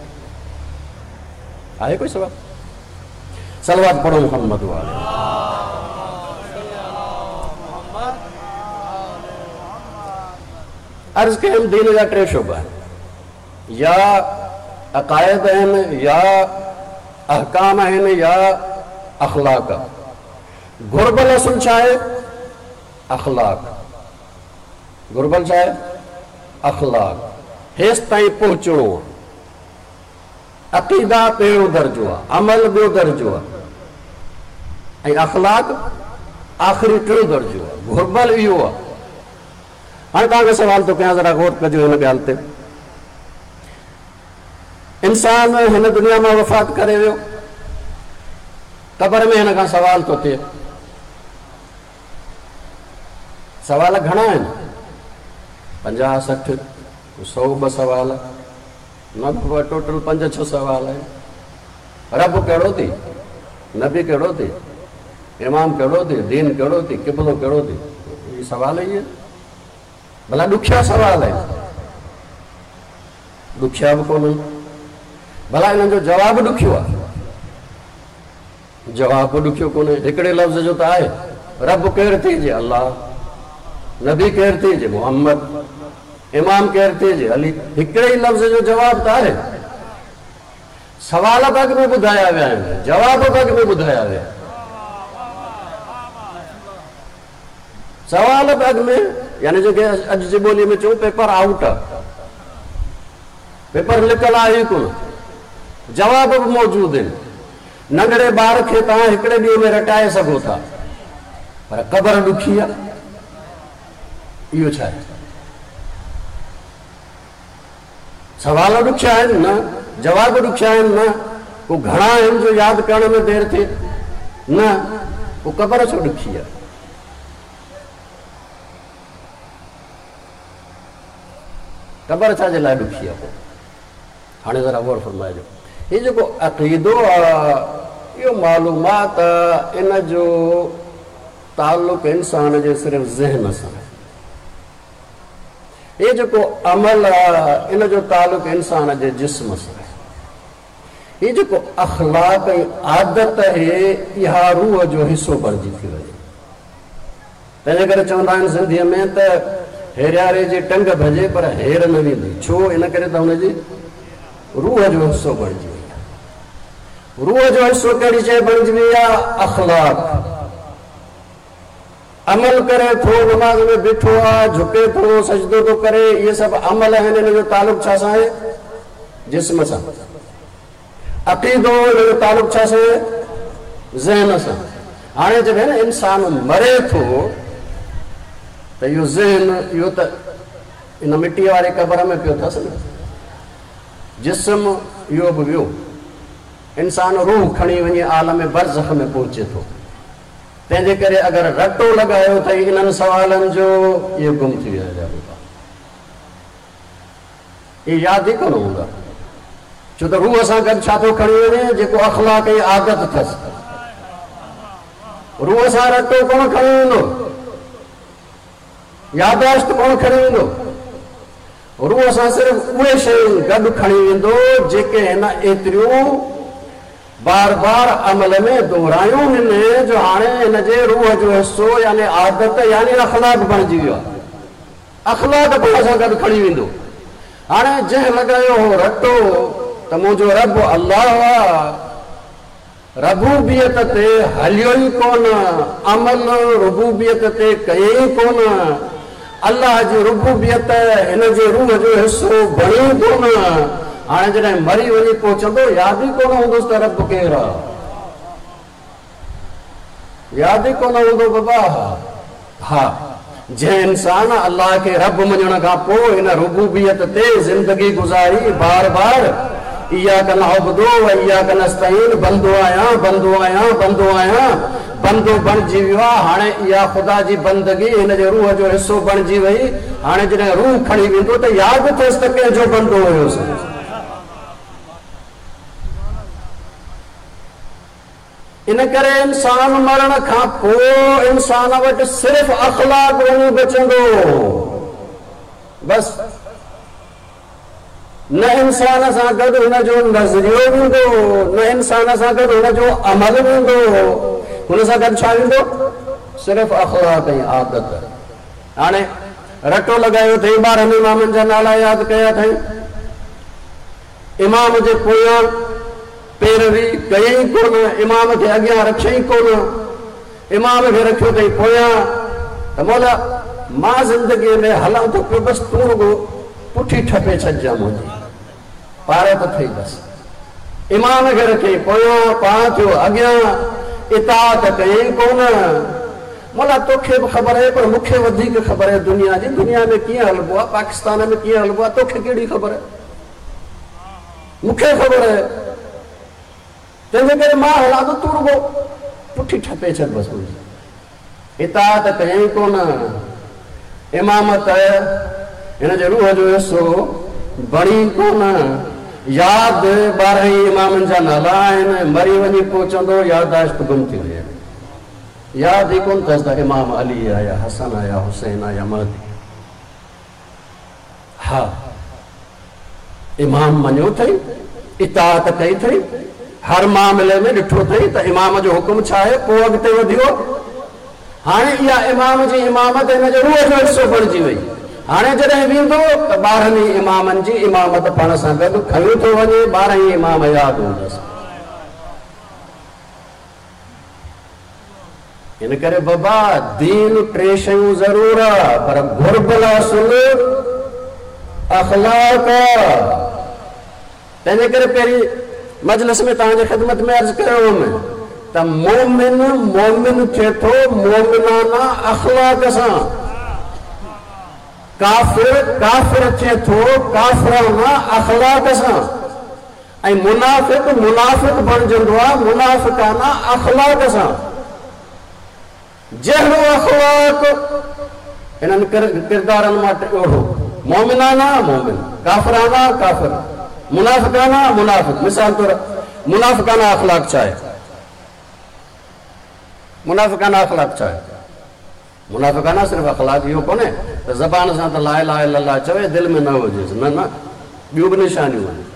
[SPEAKER 3] آهي ڪوئي سوال صلوات پڙهو محمد وآله عرض ڪيم دين جا ٽي شعبا آهن يا عقائد آهن يا احڪام آهن يا اخلاق گهربل اصل ڇا آهي اخلاق گهربل ڇا آهي؟ اخلاق. هيستائين پهچڻو آهي. عقيدا پهريون درجو آهي، عمل ٻيو درجو آهي ۽ اخلاق آخري ٽيون درجو آهي. گهربل اهو آهي. هاڻي توهان کي سوال ٿو ڪيان ذرا غور ڪجو هن ڳالهه تي. انسان هن دنيا مان وفات ڪري ويو. قبر ۾ هن کان سوال ٿو ٿئي. سوال گهڻا آهن، پنجاهه سٺ، سئو ٻه سوال، نه بابا ٽوٽل پنج ڇهه سوال آهن. رب ڪهڙو ٿي، نبي ڪهڙو ٿي، امام ڪهڙو ٿي، دين ڪهڙو ٿي، قبلو ڪهڙو ٿي، اهي سوال ئي آهن. ڀلا ڏکيا سوال آهن، ڏکيا به ڪونهن، ڀلا انهن جو جواب ڏکيو آهي. جواب به ڏکيو ڪونهي، هڪڙي لفظ جو ته آهي، رب ڪير ٿي جي الله، نبي ڪير ٿي جي محمد، امام ڪير ٿي جي علي، هڪڙي ئي لفظ جو جواب ته آهي. سوال به اڳ ۾ ٻڌايا ويا آهن، جواب به اڳ ۾ ٻڌايا ويا. سوال به اڳ ۾ يعني جيڪي اڄ جي ٻوليء ۾ چئون پيپر آئوٽ آ. پيپر لڪل آهي ئي ڪونه. جواب به موجود آهن. ننڍڙي ٻار کي توهان هڪڙي ڏينهن ۾ رٽائي سگهو ٿا پر قبر ڏکي آ. اهو ڇا آهي؟ سوال ڏکيا آهن نه، جواب ڏکيا آهن نه، ڪو گهڻا آهن جو ياد ڪرڻ ۾ دير ٿئي نه، پوء قبر ڇو ڏکي آ؟ قبر ڇا جي لاء ڏکي آ پوء؟ هاڻي ذرا غور فرمائجو. هي جيڪو عقيدو آ، اهو معلومات آ، ان جو تعلق انسان جي صرف ذهن سان آهي. هي جيڪو عمل آ، ان جو تعلق انسان جي جسم سان آهي. هي جيڪو اخلاق ۽ عادت آهي، اها روح جو حصو بڻجي ٿي وڃي. تنهنجي ڪري چوندا آهن سنڌيء ۾ ته هيرياري جي ٽنگ ڀڄي پر هير نه ويندي. ڇو؟ ان ڪري ته هن جي روح جو حصو بڻجي وئي آهي. روح جو حصو ڪهڙي شيء بڻجي وئي آهي؟ اخلاق. عمل ڪري ٿو، نماز ۾ بيٺو آهي، جهڪي ٿو، سجدو ٿو ڪري، اهي سڀ عمل آهن، ان جو تعلق ڇا سان آهي؟ جسم سان. عقيدو، ان جو تعلق ڇا سان آهي؟ ذهن سان. هاڻي جڏهن انسان مري ٿو ته اهو ذهن، اهو ته ان مٽيء واري قبر ۾ پيو اٿس نه، جسم اهو به ويو، انسان روح کڻي وڃي عالم برزخ ۾ پهچي ٿو. تنهن جي ڪري اگر رٽو لڳايو اٿئي انهن سوالن جو، اهي گم ٿي ويا هليا هوندا. اهي ياد ئي ڪونه هوندا. ڇو ته روح سان گڏ ڇا ٿو کڻي وڃي؟ جيڪو اخلاق ۽ عادت اٿس. روح سان رٽو ڪونه کڻي ويندو. ياداشت ڪونه کڻي ويندو. روح سان صرف اهي شيون گڏ کڻي ويندو جيڪي هن ايتريون بار بار عمل ۾ دهرايون هن جو هاڻي هن جي روح جو حصو يعني عادت يعني اخلاق بڻجي ويو آهي. اخلاق پاڻ سان گڏ کڻي ويندو. هاڻي جنهن لڳايو هو رٽو ته منهنجو رب الله آ، ربوبيت تي هليو ئي ڪونه، عمل ربوبيت تي ڪيائين ئي ڪونه، الله جي ربوبيت هن جي روح جو حصو بڻي ئي ڪونه، هاڻي جڏهن مري وڃي پهچندو ياد ئي ڪونه هوندس ته رب ڪير آ. ياد ئي ڪونه هوندو بابا. ها جنهن انسان الله کي رب مڃڻ کان پوء هن ربوبيت تي زندگي گذاري بار بار اياڪ نعبد و اياڪ نستعين بندو آهيان بندو آهيان بندو آهيان بندو بڻجي ويو آ هاڻي اها خدا جي بندگي هن جي روح جو حصو بڻجي وئي هاڻي جڏهن روح کڻي ويندو ته ياد اٿس ته ڪنهن جو بندو هيس. ان ڪري انسان مرڻ کان پوء انسان وٽ صرف اخلاق وڃي بچندو. بس. نه انسان سان گڏ هن جو نظريو ويندو، نه انسان سان گڏ هن جو عمل ويندو. هن سان گڏ ڇا ويندو؟ صرف اخلاق ۽ عادت. هاڻي رٽو لڳايو اٿئي، 12 امامن جا نالا ياد ڪيا اٿئي. امام جي پويان پيروي ڪيائين ڪونه، امام کي اڳيان رکيائين ڪونه، امام کي رکيو اٿئي پويان ته مولا مان زندگيء ۾ هلان ٿو پيو بس تون رڳو پٺي ٺپي ڇڏجان منهنجي پارت اٿئي بس. امام کي رکيائين پويان، پاڻ ٿيو اڳيان، اطاعت ڪيائين ڪونه. مولا توکي به خبر آهي پر مون کي وڌيڪ خبر آهي دنيا جي، دنيا ۾ ڪيئن هلبو آهي، پاڪستان ۾ ڪيئن هلبو آهي، توکي ڪهڙي خبر آهي. مون کي خبر آهي، تنهنجي ڪري مان هلان ٿو، تون رڳو پٺي ٺپي ڇڏ بس منهنجي. اطاعت ڪيائين ڪونه، امامت هن جي روح جو حصو بڻي ڪونه، ياد 12 ئي امامن جا نالا آهن، مري وڃي پهچندو ياداشت گم ٿي وئي. ياد ئي ڪونه اٿس ته امام علي آ يا حسن آ يا حسين آ يا مهدي. ها، امام مڃيو اٿئي، اطاعت ڪئي اٿئي، هر معاملي ۾ ڏٺو اٿئي ته امام جو حڪم ڇا آهي، پوء اڳتي وڌيو. هاڻي اها امام جي امامت هن جي روح جو حصو بڻجي وئي. هاڻي جڏهن ويندو ته 12 ئي امامن جي امامت پاڻ سان گڏ کڻي ٿو وڃي، 12 ئي امام ياد هوندس. ان ڪري بابا دين ٽي شيون ضرور آ پر گهربل اصل اخلاق آ. تنهنجي ڪري پهرين مجلس ۾ توهان جي خدمت ۾ عرض ڪيو هوم ته مومن مومن ٿئي ٿو مومنانه اخلاق سان، ڪافر ڪافر ٿئي ٿو ڪافرانه اخلاق سان. ۽ منافق منافق بڻجندو آ منافقانه اخلاق سان. جهڙو اخلاق انهن ڪردارن مان اهڙو، مؤمنانه مؤمن، ڪافرانه ڪافر، منافقانه منافق. مثال طور منافقانه اخلاق ڇا آهي؟ منافقانه اخلاق ڇا آهي؟ منافقانه صرف اخلاق اهو ڪونهي ته زبان سان ته لا اله الا الله چوي دل ۾ نه هجيس، نه نه ٻيون به نشانيون آهن.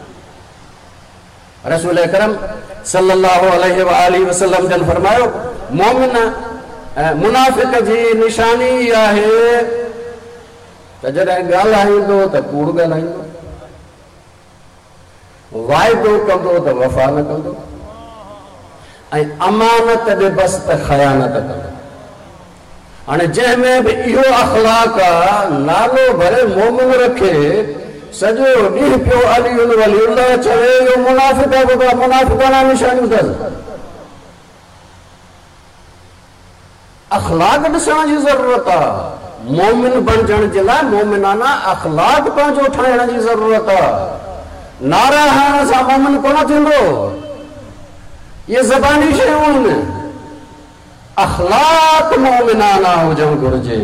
[SPEAKER 3] رسول اڪرم صلي الله عليه واٰله وسلم جن فرمايو، مؤمن منافق جي نشاني اها آهي ته جڏهن ڳالهائيندو ته ڪوڙ ڳالهائيندو. واعدو ڪندو ته وفا نه ڪندو ۽ امانت ڏبس ته خيانت ڪندو. هاڻي جنهن ۾ به اهو اخلاق آ، نالو ڀلي مومن رکي، سڄو ڏينهن پيو علي ولي الله چوي، اهو منافق آ بابا، منافقاڻا نشانيون اٿس. اخلاق ڏسڻ جي ضرورت آ. مومن بڻجڻ جي لاء مومنانه اخلاق پنهنجو ٺاهڻ جي ضرورت آ. نعرا هڻڻ سان مومن ڪونه ٿيندو. اهي زباني شيون آهن. اخلاق مومنانه هجڻ گهرجي.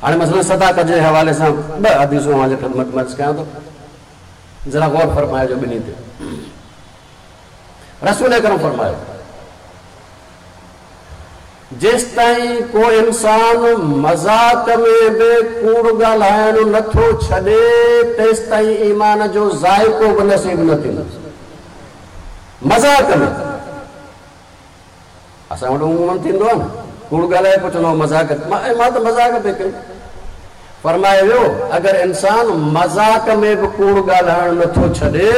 [SPEAKER 3] هاڻي مثلاً صداقت جي حوالي سان ٻه حديثون اوهان جي خدمت ۾ عرض ڪيان ٿو. ذرا غور فرمائجو ٻنهي تي. رسول اڪرم فرمايو، جيستائين ڪو انسان مذاق ۾ به ڪوڙ ڳالهائڻ نه ٿو ڇڏي، تيستائين ايمان جو ذائقو به نصيب نه ٿيندس. مذاق ۾. اسان وٽ عموماً ٿيندو آهي نه، ڪوڙ ڳالهائي پوء چوندو آهي مذاق، مان ته مذاق پئي ڪئي. فرمايو ويو، اگر انسان مذاق ۾ به ڪوڙ ڳالهائڻ نه ٿو ڇڏي،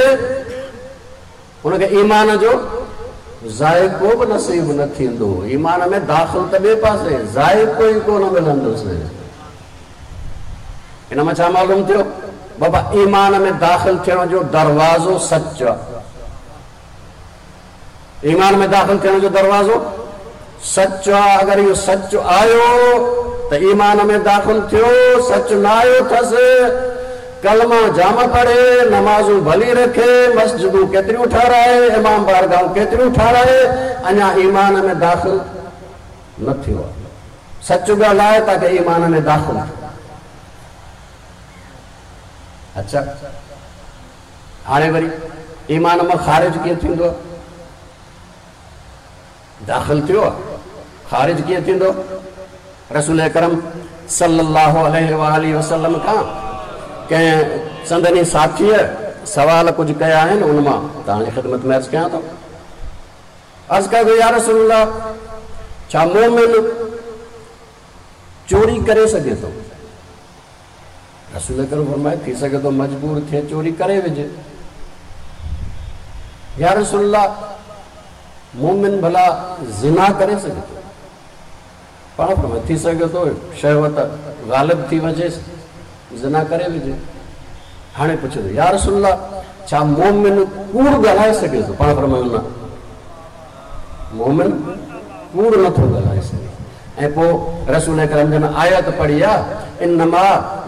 [SPEAKER 3] هن کي ايمان جو ذائقو به نصيب نه ٿيندو. ايمان ۾ داخل ته ٻئي پاسي، ذائقو ئي ڪونه ملندس. ان مان ڇا معلوم ٿيو؟ بابا ايمان ۾ داخل ٿيڻ جو دروازو سچ آ. ايمان ۾ داخل ٿيڻ جو دروازو سچ آ. اگر اهو سچ آيو ته ايمان ۾ داخل ٿيو، سچ نه آيو ٿس ڪلما جام پڙهي، نمازون ڀلي رکي، مسجدون ڪيتريون ٺهرائي، امام بارگاهون ڪيتريون ٺهرائي، اڃا ايمان ۾ داخل نه ٿيو آ. سچ ڳالهائي تاڪه ايمان ۾ داخل ٿئي. اڇا هاڻي وري ايمان مان خارج ڪيئن ٿيندو؟ داخل ٿيو آ، خارج ڪيئن ٿيندو؟ رسول اڪرم صلي الله عليه واٰله وسلم کان ڪنهن سندن ئي ساٿيء سوال ڪجهه ڪيا آهن، ان مان توهان جي خدمت ۾ عرض ڪيان ٿو. عرض ڪيو ويو، يا رسول الله! ڇا مؤمن چوري ڪري سگهي ٿو؟ رسول اڪرم فرمايو، ٿي سگهي ٿو مجبور ٿئي چوري ڪري وجهي. يا رسول الله! مؤمن ڀلا زنا ڪري سگهي ٿو؟ پاڻ فرمايو، ٿي سگهي ٿو شهوت غالب ٿي وڃيس زنا ڪري وجهي. هاڻي پڇي ٿو، يا رسول الله! ڇا مؤمن ڪوڙ ڳالهائي سگهي ٿو؟ پاڻ فرمايو، نه، مؤمن ڪوڙ نه ٿو ڳالهائي سگهي. ۽ پوء رسول اڪرم جن آيت پڙهي آ، انما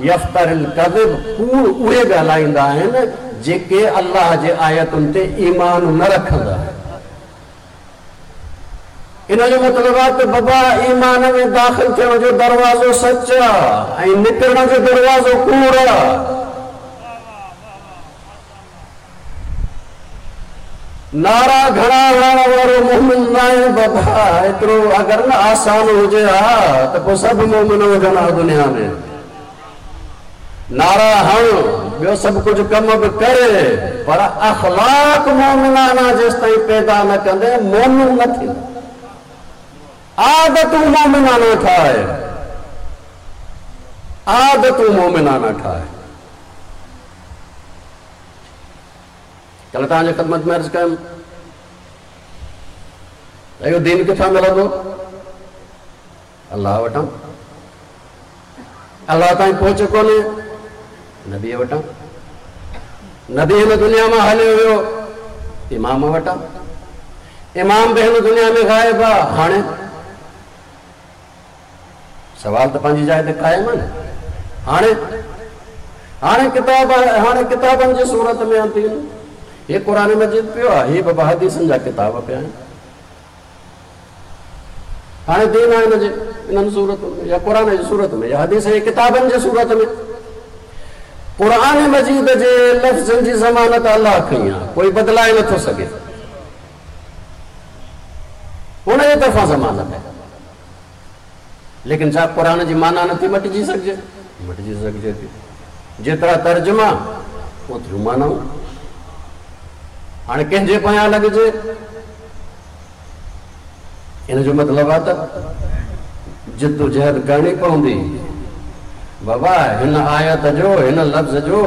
[SPEAKER 3] يفتري الڪذب ڪوڙ اهي ڳالهائيندا آهن جيڪي الله جي آيتن تي ايمان نه رکندا آهن. ان جو مطلب آ ته بابا ايمان ۾ داخل ٿيڻ جو دروازو سچ آ ۽ نڪرڻ جو دروازو ڪوڙ آ. نعرا گهڻا هڻڻ وارو مؤمن ناهي بابا، ايترو اگر نه آسان هجي ها ته پوء سڀ مؤمن هجن ها دنيا ۾. نعرا هڻ، ٻيو سڀ ڪجهه ڪم به ڪر، پر اخلاق مؤمنانه جيستائين پيدا نه ڪندين مؤمن نه ٿيندين. عادتون مؤمنانه ٺاهه، عادتون مؤمنانه ٺاهه. ڪلهه توهان جي خدمت ۾ عرض ڪيم ته اهو دين ڪٿان ملندو؟ الله وٽان. الله تائين پهچ ڪونهي، نبيء وٽان. نبي هن دنيا مان هليو ويو، امام وٽان. امام به هن دنيا ۾ غائب آ. هاڻي سوال ته پنهنجي جاء تي قائم آهي نه. هاڻي هاڻي ڪتاب هاڻي ڪتابن جي صورت ۾ آندين. هي قرآن مجيد پيو آهي، هي بابا حديثن جا ڪتاب پيا آهن. هاڻي دين آهي هن جي انهن صورتن ۾ يا قرآن جي صورت ۾ يا حديث جي ڪتابن جي صورت ۾. قرآن مجيد جي لفظن جي ضمانت الله کنئي آهي، ڪوئي بدلائي نٿو سگهي. هن جي طرفان ضمانت آهي. ليڪن ڇا قرآن جي معنيٰ نٿي مٽجي سگهجي؟ مٽجي سگهجي ٿي. جيترا ترجما اوتريون معنائون. هاڻي ڪنهن جي پويان لڳجي؟ ان جو مطلب آهي ته جدوجهد ڪرڻي پوندي. بابا هن آيت جو، هن لفظ جو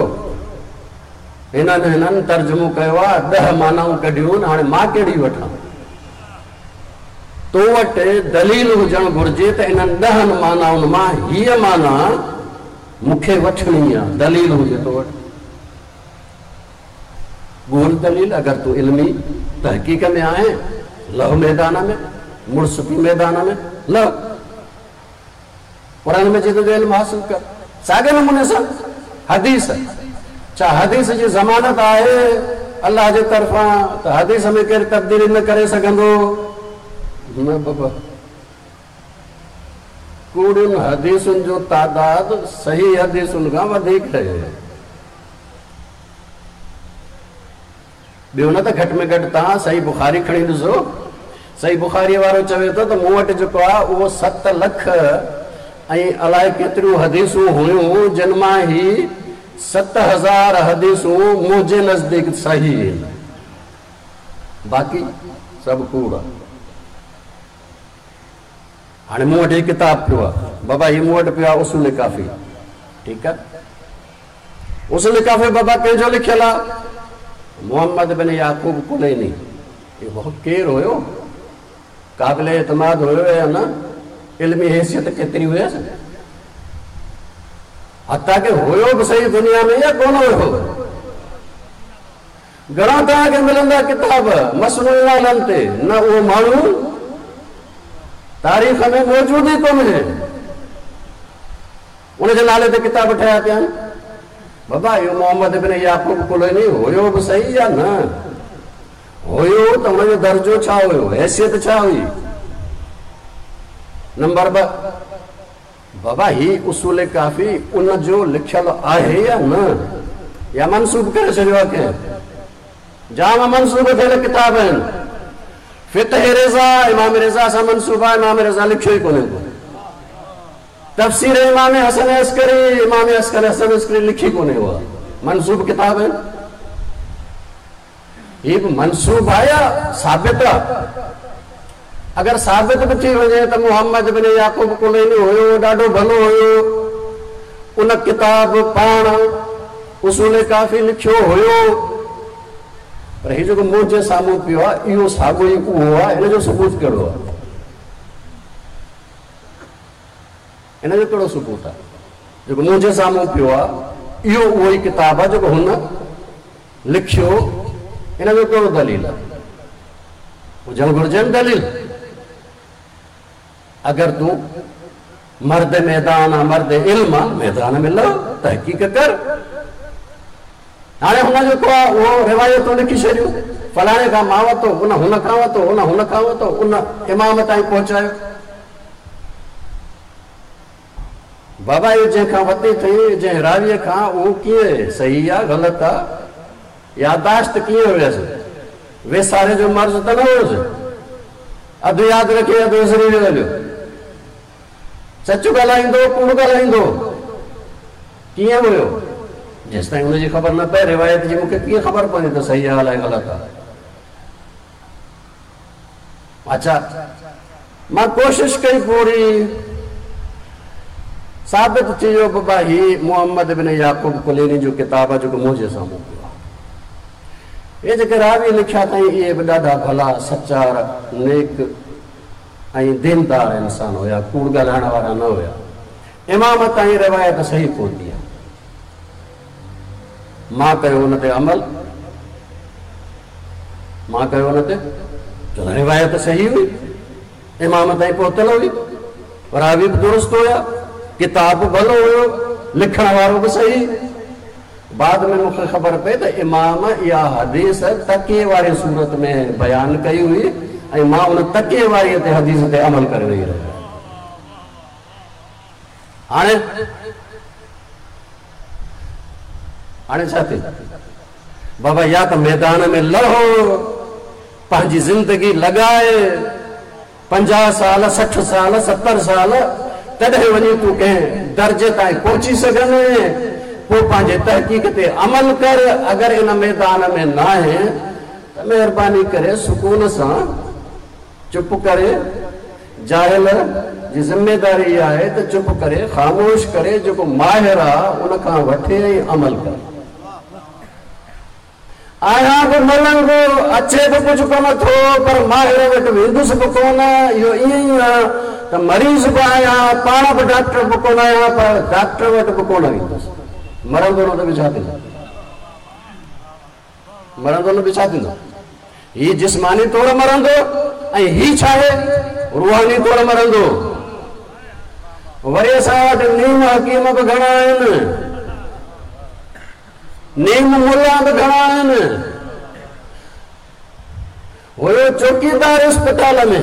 [SPEAKER 3] هنن هنن ترجمو ڪيو آ، ڏهه معنائون ڪڍيون آهن، هاڻي مان ڪهڙي وٺان؟ تو وٽ دليل هجڻ گهرجي ته انهن ڏهن معنائن مان هيء معنيٰ مون کي وٺڻي آ، دليل هجي تو وٽ. ڳول دليل، اگر تون علمي تحقيق ۾ آهين، لهه ميدان ۾، مڙس ٿي ميدان ۾ لهه. قرآن مجيد جو علم حاصل ڪر. ساڳئي نموني سان حديث، ڇا حديث جي ضمانت آهي الله جي طرفان ته حديث ۾ ڪير تبديلي نه ڪري سگهندو؟ نه بابا، ڪوڙين حديثن جو تعداد صحيح حديثن کان وڌيڪ آهي. ٻيو نه ته گهٽ ۾ گهٽ توهان صحيح بخاري کڻي ڏسو. صحيح بخاريء وارو چوي ٿو ته مون وٽ جيڪو آهي اهو 7 لک ۽ الائي ڪيتريون حديثون هيون جن مان هي 7000 حديثون منهنجي نزديڪ صحيح آهن باقي سڀ ڪوڙ آهي. هاڻي مون وٽ هي ڪتاب پيو آهي بابا هي مون وٽ پيو آهي اصول ڪافي ٺيڪ آهي. اصول ڪافي بابا ڪنهن جو لکيل آ؟ محمد بن يعقوب ڪليني. اهو ڪير هيو؟ قابل اعتماد هيو يا نه؟ علمي حيثيت ڪيتري هيس؟ حتيٰ ڪه هيو به صحيح دنيا ۾ يا ڪونه هيو؟ گهڻا توهان کي ملندا ڪتاب مصنوعي نالن تي، نه اهو ماڻهو تاريخ ۾ موجود ئي ڪونهي. ان جي نالي تي ڪتاب ٺهيا پيا آهن. بابا اهو محمد بن يعقوب ڪليني هيو به صحيح يا نه؟ هيو ته ان جو درجو ڇا هيو؟ حيثيت ڇا هئي؟ نمبر 2 بابا هي اصول ڪافي ان جو لکيل آهي يا نه؟ يا منسوب ڪري ڇڏيو آهي ڪنهن؟ جام منسوب ٿيل ڪتاب آهن. فقه رضا امام رضا سان منسوب آهي، امام رضا لکيو ئي ڪونهي ڪو. تفسير امام حسن عسڪري، امام عسڪري حسن عسڪري لکي ڪونهي اها منسوب ڪتاب آهن. هي به منسوب آهي يا ثابت آهي؟ اگر ثابت به ٿي وڃي ته محمد بن يعقوب ڪليني هيو، ڏاڍو ڀلو هيو، ان ڪتاب پاڻ اصول ڪافي لکيو هيو، پر هي جيڪو منهنجي سامهون پيو آهي اهو ساڳيو ئي اهو آهي، ان جو ثبوت ڪهڙو آهي؟ ان جو ڪهڙو ثبوت آهي؟ جيڪو منهنجي سامهون پيو آهي، اهو اهو ئي ڪتاب آهي جيڪو هن لکيو، ان جو ڪهڙو دليل آهي؟ هجڻ گهرجي نه دليل. اگر تون مرد ميدان آن، مرد علم آن، ميدان ۾ لهه، تحقيق ڪر. هاڻي هن جيڪو آهي اهو روايتون لکي ڇڏيون، فلاڻي کان مان ورتو، ان هن کان ورتو، ان هن کان ورتو، ان امام تائين پهچايو. بابا اهو جنهن کان ورتي اٿئي، جنهن راويء کان، اهو ڪيئن صحيح آ غلط آ؟ يادداشت ڪيئن هيس؟ ويساري جو مرض ته نه هيس؟ اڌ ياد رکي اڌ وسري ويو هليو. سچ ڳالهائيندو ڪوڙ ڳالهائيندو ڪيئن هيو؟ جيستائين ان جي خبر نه پئي روايت جي مون کي ڪيئن خبر پوندي ته صحيح آ الائي غلط آ؟ اڇا مان ڪوشش ڪئي پوري ثابت ٿي ويو بابا هي محمد بن يعقوب ڪليني جو ڪتاب آهي جيڪو منهنجي سامهون پيو آهي. اهي جيڪي راوي لکيا اٿائين اهي به ڏاڍا ڀلا، سچار، نيڪ ۽ ديندار انسان هيا، ڪوڙ ڳالهائڻ وارا نه هيا. امام تائين روايت صحيح پهتي آهي. مان ڪيو ان تي عمل. مان ڪيو ان تي، ڇو ته روايت صحيح هئي، امام تائين پهتل هئي، راوي به درست هيا، ڪتاب به ڀلو هيو، لکڻ وارو به صحيح. بعد ۾ مون کي خبر پئي ته امام اها حديث تڪيي واري صورت ۾ بيان ڪئي هئي ۽ مان ان تڪيي واريء تي حديث تي عمل ڪري ويهي رهيو آهيان. هاڻي هاڻي ڇا ٿئي؟ بابا يا ته ميدان ۾ لهو، پنهنجي زندگي لڳاء، 50 سال، 60 سال، 70 سال، تڏهن وڃي تون ڪنهن درجي تائين پهچي سگهندين، پوء پنهنجي تحقيق تي عمل ڪر، اگر ان ميدان ۾ ناهين ته مهرباني ڪري سڪون سان چپ ڪري، جاهل جي ذميداري اها آهي ته چپ ڪري، خاموش ڪري، جيڪو ماهر آ ان کان وٺي ۽ عمل ڪري. آهيان به ملنگ، اچي به ڪجهه ڪونه ٿو، پر ماهر وٽ ويندس به ڪونه. اهو ائين ئي آ ته مريض به آهيان، پاڻ به ڊاڪٽر به ڪونه آهيان، پر ڊاڪٽر وٽ به ڪونه ويندس. مرندو نه ته به ڇا ٿيندو؟ مرندو نه به ڇا ٿيندو؟ هي جسماني طور مرندو ۽ هي ڇا آهي؟ روحاني طور مرندو. وري اسان وٽ نيم حڪيم به گهڻا آهن. نيم ملان به گهڻا آهن. هيو چوڪيدار اسپتال ۾،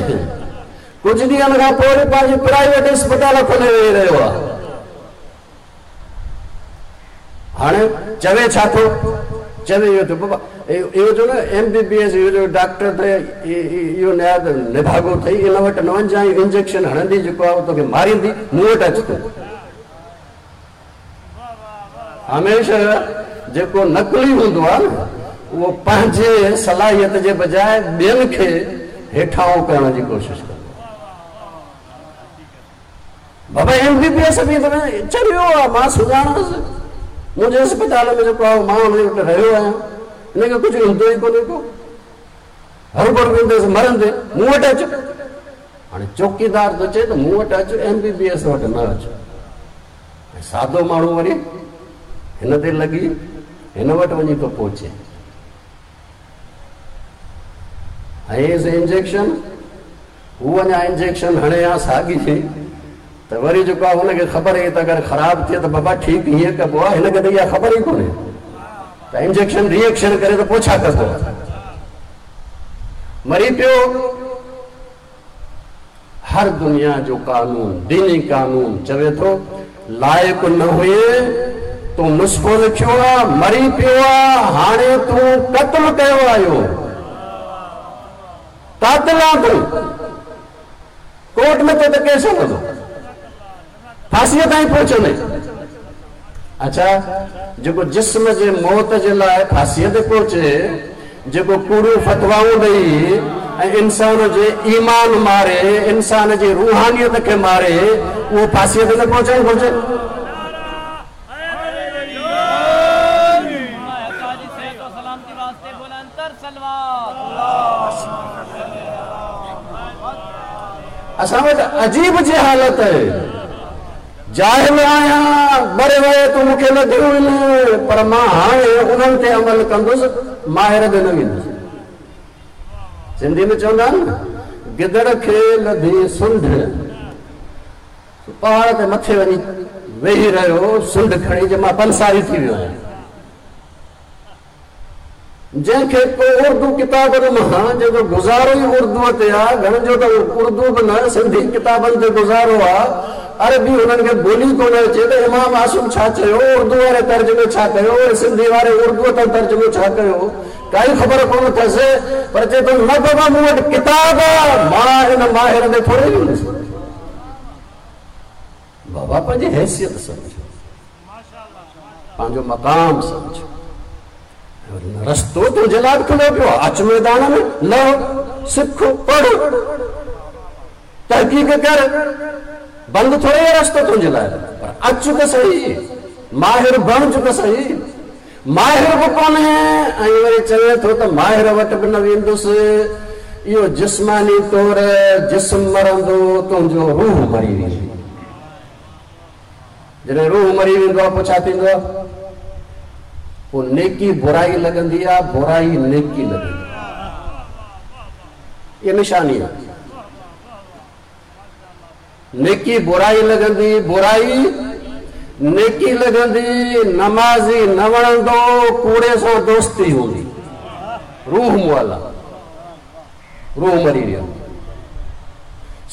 [SPEAKER 3] ڪجهه ڏينهن کان پوء وري پنهنجي پرائيويٽ اسپتال کولي ويهي رهيو آهي. هاڻي چوي ڇا ٿو؟ چوي اهو ٿو بابا اهو جو نه ايم بي بي ايس اهو جو ڊاڪٽر ته اهو نهايت نڀاڳو اٿئي، ان وٽ نه وڃجانء، انجيڪشن هڻندي جيڪو آهي اهو توکي ماريندي، مون وٽ اچ تون. هميشه جيڪو نقلي هوندو آهي نه اهو پنهنجي صلاحيت جي بجاء ٻين کي هيٺاهون ڪرڻ جي ڪوشش ڪندو آهي. بابا ايم بي بي ايس به ته چريو آهي، مان سڃاڻانس، منهنجي اسپتال ۾ جيڪو آهي مان ان وٽ رهيو آهيان، هن کي ڪجهه ايندو ئي ڪونهي ڪو، هروڀرو ويندس مرندي، مون وٽ اچ. هاڻي چوڪيدار ٿو چئي ته مون وٽ اچ، ايم بي بي ايس وٽ نه اچ. ۽ سادو ماڻهو وري هن تي لڳي هن وٽ وڃي ٿو پهچي. هنيس انجيڪشن، هو اڃا انجيڪشن هڻي ها ساڳي ته وري جيڪو آهي هن کي خبر هئي ته اگر خراب ٿئي ته بابا ٺيڪ هيئن ڪبو آهي، هن کي ته اها خبر ئي ڪونهي ته انجيڪشن ري ايڪشن ڪري ته پوء ڇا ڪبو آهي. مري پيو. هر دنيا جو قانون، ديني قانون چوي ٿو، لائق نه هئين، تون نسخو لکيو آ، مري پيو آ، هاڻي تون قتل ڪيو آ اهو قاتل آن تون، ڪورٽ ۾ تو تي ڪيس هلندو، ڦاسيء تائين پهچندين. اڇا جيڪو جسم جي موت جي لاء ڦاسيء تي پهچي، جيڪو ڪوڙيون فتوائون ڏئي ۽ انسان جي ايمان ماري، انسان جي روحانيت کي ماري، اهو ڦاسيء تي نه پهچڻ گهرجي؟ اسان وٽ عجيب جهالت آهي. جاهل آهيان، ٻه روايتون مون کي لڌيون آهن، پر مان هاڻي انهن تي عمل ڪندس، ماهر ڏي نه ويندس. سنڌي ۾ چوندا آهن نه، گدڙ کي لڌي سنڍ، سو پهاڙ تي مٿي وڃي ويهي رهيو، سنڍ کڻي چي مان پنساري ٿي ويو آهيان. جنهن کي ڪو اردو ڪتابن مان، جنهن جو گذارو ئي اردوء تي آ، گهڻن جو ته اردو به نه، سنڌي ڪتابن تي گذارو آ، عربي هنن کي ٻولي ڪونه اچي ته امام عاصم ڇا چيو، اردو واري ترجمي ڇا ڪيو، وري سنڌي واري اردوء تان ترجمو ڇا ڪيو، ڪائي خبر ڪونه اٿس، پر چئي ٿو نه بابا مون وٽ ڪتاب آ، مان ان ماهر ڏي ٿوري ويندس. بابا پنهنجي حيثيت سمجهه. پنهنجو مقام سمجهه. رستو تنهنجي لاء به کليو پيو آهي. اچ ميدان ۾ لهه، سک، پڙهه، تحقيق ڪر. بند ٿوري آهي رستو تنهنجي لاء، پر اچ ته سهي، ماهر بڻج ته سهي. ماهر به ڪونهي ۽ وري چوي ٿو ته ماهر وٽ به نه ويندس. اهو جسماني طور جسم مرندو، تنهنجو روح مري ويندو. جڏهن روح مري ويندو آهي پوء ڇا ٿيندو آهي؟ پوء نيڪي برائي لڳندي آهي، برائي نيڪي لڳندي آهي. اها نشاني آهي. نيڪي برائي لڳندي، برائي نيڪي لڳندي، نمازي نه وڻندو، ڪوڙي سان دوستي هوندي. روح مئل آهي. روح مري ويو.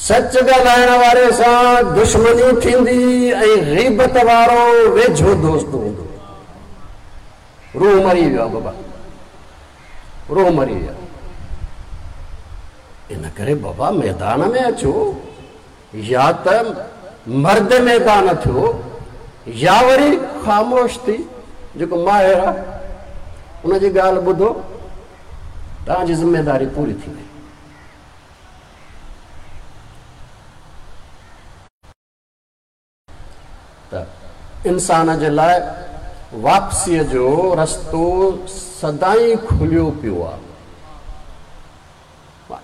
[SPEAKER 3] سچ ڳالهائڻ واري سان دشمني ٿيندي ۽ غيبت وارو ويجهو دوست هوندو. روح مري ويو آهي بابا، روح مري ويو آهي. ان ڪري بابا ميدان ۾ اچو، يا ته مرد ميدان ٿيو يا وري خاموش ٿي جيڪو ماهر آهي ان جي ڳالهه ٻڌو. توهان جي ذميداري پوري ٿي وئي. ته انسان جي لاء واپسيء جو رستو سدائين کليو پيو آ.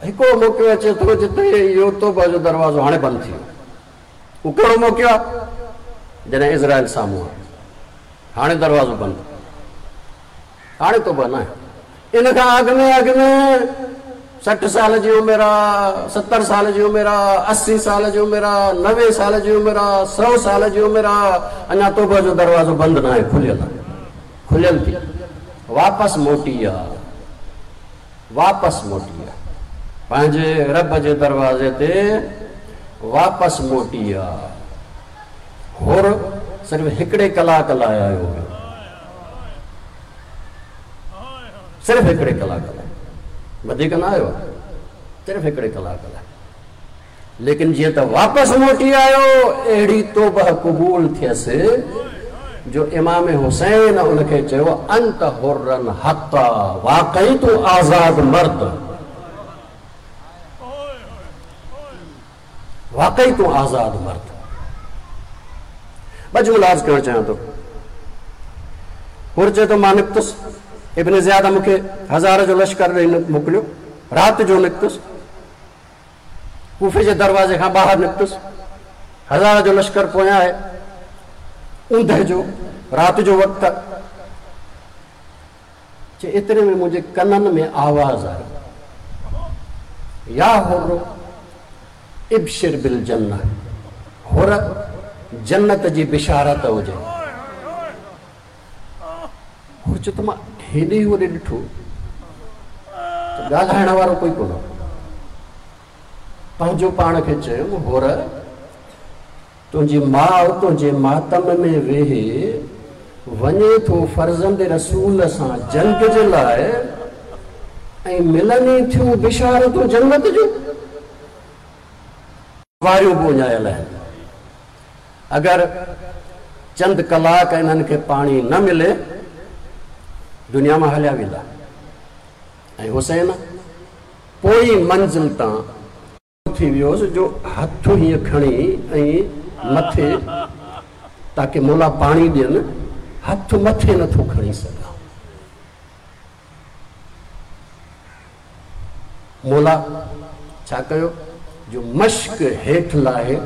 [SPEAKER 3] هڪڙو موقعو اچي ٿو جتي اهو توبه جو دروازو هاڻي بند ٿي ويو. اهو ڪهڙو موقعو آ؟ جڏهن عزرائيل سامهون آ. هاڻي دروازو بند. هاڻي توبه ناهي. ان کان اڳ ۾ اڳ ۾ 60 سال جي عمر آ، 70 سال جي عمر آ، 80 سال جي عمر آ، 90 سال جي عمر آ، 100 سال جي عمر آ، اڃا توبه جو دروازو بند ناهي، کليل آ. کليل ٿي واپس موٽي آ. واپس موٽي آ. پنهنجي رب جي دروازي تي واپس موٽي آ. حر صرف هڪڙي ڪلاڪ لاء آيو هيو. صرف هڪڙي ڪلاڪ لاء، وڌيڪ نه آيو آهي، صرف هڪڙي ڪلاڪ لاء. ليڪن جيئن ته واپس موٽي آيو، اهڙي توبه قبول ٿيس جو امام حسين ان کي چيو، انت حر حقا، واقعي تون آزاد مرد، واقعي تون آزاد مرد. ٻه جملا عرض ڪرڻ چاهيان ٿو. حر چئي ٿو مان نڪتس، ابن زياد مون کي هزار جو لشڪر ڏئي موڪليو، رات جو نڪتس، ڪوفي جي دروازي کان ٻاهر نڪتس، هزار جو لشڪر پويان آهي، اوندهه جو رات جو وقت آهي. چي ايتري ۾ منهنجي ڪنن ۾ آواز آيو، يا حر ابشر بالجنه، حر جنت جي بشارت هجي. حر چيو ته مان هيڏي هوڏي ڏٺو ته ڳالهائڻ وارو ڪوئي ڪونه هو. پنهنجو پاڻ کي چيم، حر تنهنجي ماء تنهنجي ماتم ۾ ويهي وڃي ٿو فرزند رسول سان جنگ جي لاء ۽ ملن ئي ٿيون بشارتون جنت جون. واريون به اڃايل آهن. اگر چند ڪلاڪ انهن کي پاڻي نه ملي دنيا مان هليا ويندا ۽ حسين پوئين منزل تان ٿي ويوس جو هٿ هيئن کڻي ۽ مٿي تاڪه مولا پاڻي ڏين، هٿ مٿي نٿو کڻي سگهان. مولا ڇا ڪيو جو مشڪ هيٺ لاهي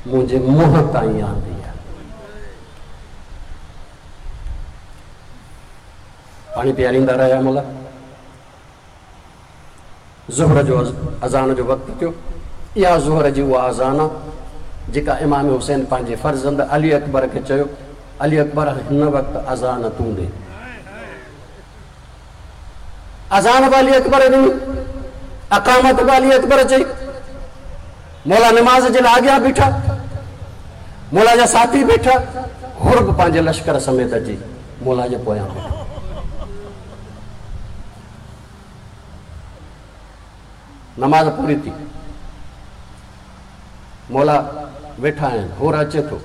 [SPEAKER 3] منهنجي منهن تائين آندي آهي. پاڻي پياريندا رهيا مولا. ظهر جو اذان جو وقت ٿيو. اها ظهر جي اها اذان آ، جيڪا امام حسين پنهنجي فرزند علي اڪبر کي چيو، علي اڪبر هن وقت اذان تون ڏي. اذان به علي اڪبر ڏني، اقامت به علي اڪبر چئي. مولا نماز جي لاء اڳيان بيٺا، مولا جا ساٿي بيٺا، حر به پنهنجي لشڪر سميت اچي مولا جي پويان بيٺو. نماز پوري ٿي، مولا ويٺا آهن، حر اچي ٿو،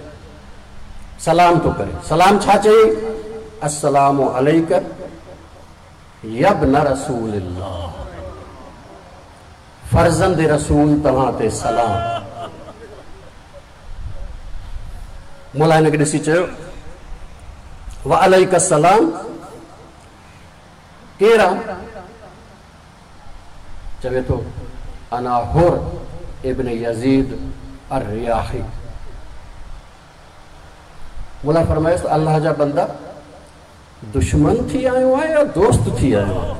[SPEAKER 3] سلام ٿو ڪري. سلام ڇا چيائين؟ السلام عليڪ يابن رسول الله، فرزند رسول توهان تي سلام. مولا هن کي ڏسي چيو، وعليڪ السلام. ڪير آ؟ چوي ٿو، انا حر ابن يزيد الرياحي. مولا فرمايس ته الله جا بندا دشمن ٿي آيو آهين يا دوست ٿي آيو آهين؟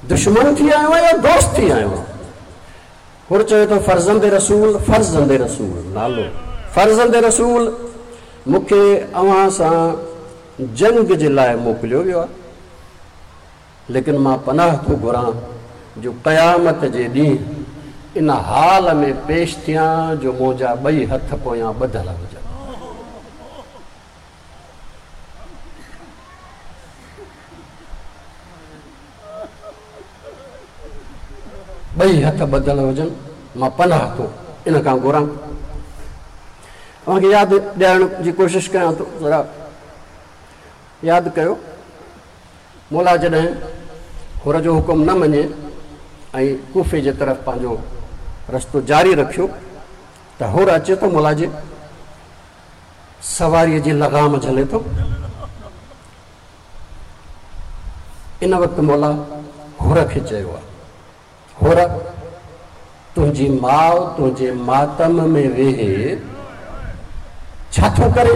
[SPEAKER 3] دشمن ٿي آيو آهين يا دوست ٿي آيو آهين؟ حر چوي ٿو فرزند رسول، فرزند رسول، نالو فرزند رسول، مون کي اوهان سان جنگ جي لاء موڪليو ويو آهي، ليڪن مان پناهه ٿو گهران جو قيامت جي ڏينهن ان حال ۾ پيش ٿيان جو منهنجا ٻئي هٿ پويان ٻڌل هجن. ٻئي هٿ ٻڌل هجن، مان پناهه ٿو ان کان گهران. اوهان کي ياد ڏيارڻ جي ڪوشش ڪيان ٿو، ذرا ياد ڪيو، مولا جڏهن حر جو حڪم نه مڃي ۽ ڪوفي جي طرف پنهنجو رستو جاري رکيو ته حر اچي ٿو مولا جي سواريء جي لغام جهلي ٿو. ان وقت مولا حر کي چيو آ، حر! تنهنجي ماء تنهنجي ماتم ۾ ويهي ڇا ٿو ڪري؟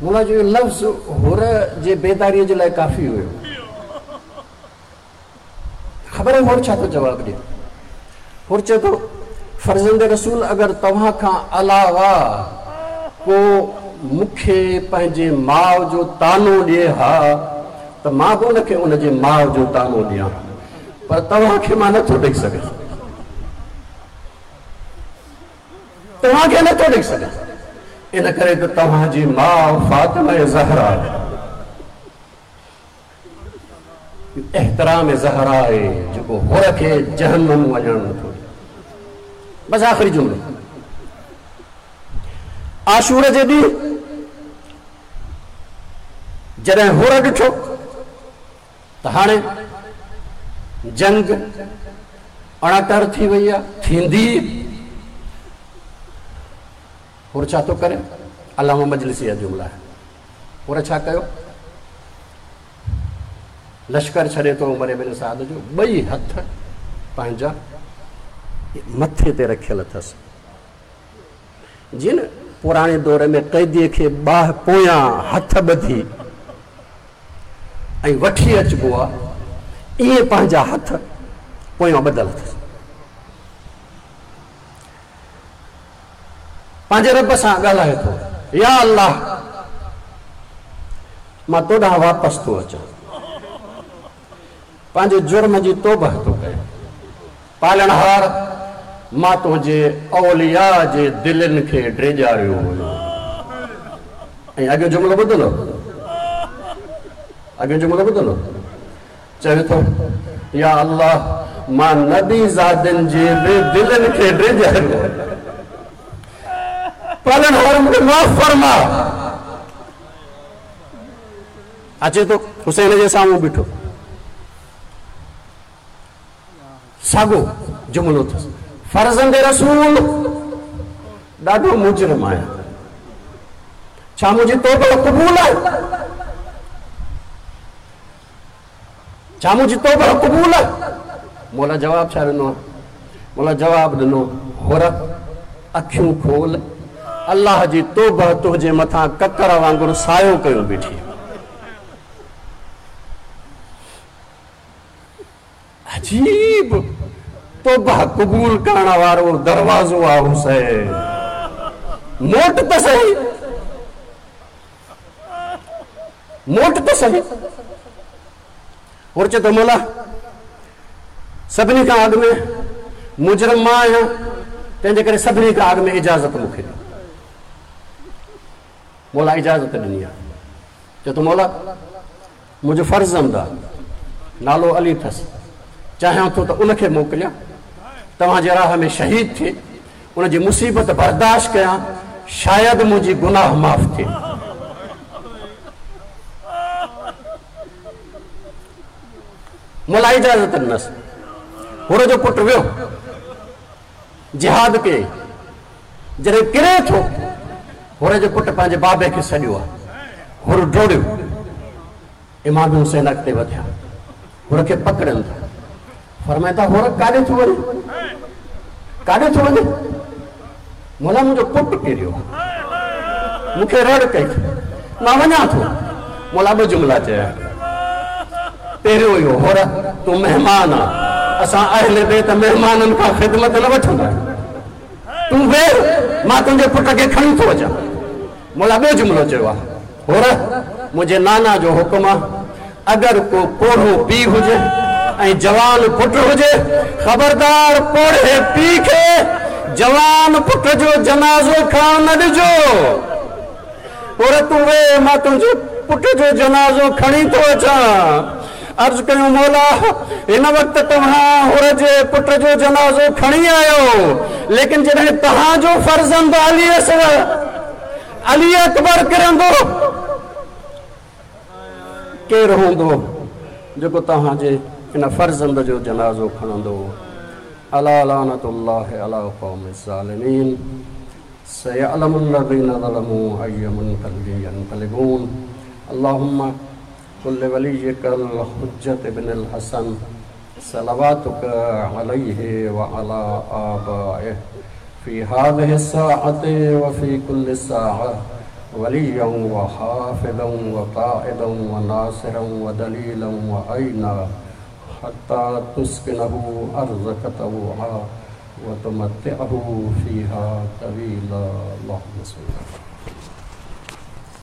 [SPEAKER 3] مولا جو اهو لفظ حر جي بيداريء جي لاء ڪافي هيو. خبر آهي حر ڇا ٿو جواب ڏئي؟ حر چئي ٿو، فرزند رسول اگر توهان کان علاوه ڪو مون کي پنهنجي ماء جو طعنو ڏئي ها ته مان به ان کي ان جي ماء جو طعنو ڏيان ها پر توهان کي مان نٿو ڏئي سگهان. توهان کي نٿو ڏئي سگهان ان ڪري ته توهان جي ماء فاطمه زهرا احترام زهرا آهي جيڪو حر کي جهنم وڃڻ نٿو ڏئي. بس آخري جملو عاشور جي ڏينهن جڏهن حر ڏٺو ته هاڻي جنگ اڻٽر ٿي وئي آهي ٿيندي حر ڇا ٿو ڪري علامه مجلسي جا جملا آهن حر ڇا ڪيو؟ لشڪر ڇڏي ٿو عمر بن سعد جو، ٻئي هٿ پنهنجا مٿي تي رکيل اٿس. جيئن نه پراڻي دور ۾ قيديء کي ٻانهه پويان هٿ ٻڌي ۽ وٺي اچبو آ، ائين پنهنجا هٿ پويان ٻڌل اٿس. پنهنجي رب سان ڳالهائي ٿو، يا الله! مان تو ڏانهن واپس ٿو اچان، پنهنجي جرم جي توبهه ٿو ڪيان، پالڻهار! مان تنهنجي اولياء جي دلين کي ڊيڄاريو هيو. ۽ اڳيون جملو ٻڌندو؟ اڳيون جملو ٻڌندو؟ چوي ٿو، يا الله! مان نبي زادن جي به دلين کي ڊيڄاريو آهي. پالڻهار مون کي معاف فرماء. اچي ٿو حسين جي سامهون بيٺو. ساڳو جملو اٿس، فرزند رسول! ڏاڍو مجرم آهيان. ڇا منهنجي توبه قبول آهي؟ ڇا منهنجي توبه قبول آهي؟ مولا جواب ڇا ڏنو؟ مولا جواب ڏنو، حر اکيون کول، الله جي توبه تنهنجي مٿان ڪڪر وانگر سايو ڪيو بيٺي. عجيب توبه قبول ڪرڻ وارو دروازو آ حسين. موٽ ته سهي. موٽ ته سهي. حر چئي ٿو مولا سڀني کان اڳ ۾ مجرم مان آهيان، تنهن جي ڪري سڀني کان اڳ ۾ اجازت مون کي ڏيو. مولا اجازت ڏني آهي. چئي ٿو مولا منهنجو فرزند آهي، نالو علي اٿس، چاهيان ٿو ته ان کي موڪليان، توهان جي راهه ۾ شهيد ٿئي، ان جي مصيبت برداشت ڪيان، شايد منهنجي گناهه معاف ٿئي. مولا اجازت ڏنس. حر جو پٽ ويو، جهاد ڪيائين. جڏهن ڪري ٿو، حر جي پٽ پنهنجي بابي کي سڏيو آهي. حر ڊوڙيو. امام حسين اڳتي وڌيا. حر کي پڪڙين ٿا. فرمائن ٿا، حر ڪاڏي ٿو وڃين؟ ڪاڏي ٿو وڃين؟ مولا منهنجو پٽ ڪريو آهي. مون کي رڙ ڪئي اٿئي. مان وڃان ٿو. مولا ٻه جملا چيا. پهريون اهو، حر تون مهمان آن. اسان اهل بيت مهمانن کان خدمت نه وٺندا آهيون. تون ويهه، مان تنهنجي پٽ کي کڻي ٿو اچان. مولا ٻيو جملو چيو آهي، حر، منهنجي نانا جو حڪم آهي، اگر ڪو پوڙهو پيء هجي ۽ جوان پٽ هجي، خبردار پوڙهي پيء کي جوان پٽ جو جنازو کڻڻ نه ڏجو. حر، تون ويهه، مان تنهنجي پٽ جو جنازو کڻي ٿو اچان. عرض ڪيو، مولا! هن وقت توهان حر جي پٽ جو جنازو کڻي آيو، ليڪن جڏهن توهان جو فرزند علي اصغر، علي اڪبر ڪرندو، ڪير هوندو جيڪو توهان جي ان فرزند جو جنازو کڻندو؟ الا لعنة الله علي القوم الظالمين. سيعلم الذين ظلموا أي منقلب ينقلبون. اللهم كل وليك الحجة بن الحسن صلواتك عليه وعلى آبائه في هذه الساعة وفي كل ساعة وليا وحافظا وقائدا وناصرا ودليلا وعينا حتى تسكنه أرضك طوعا وتمتعه فيها طويلا. اللهم صل.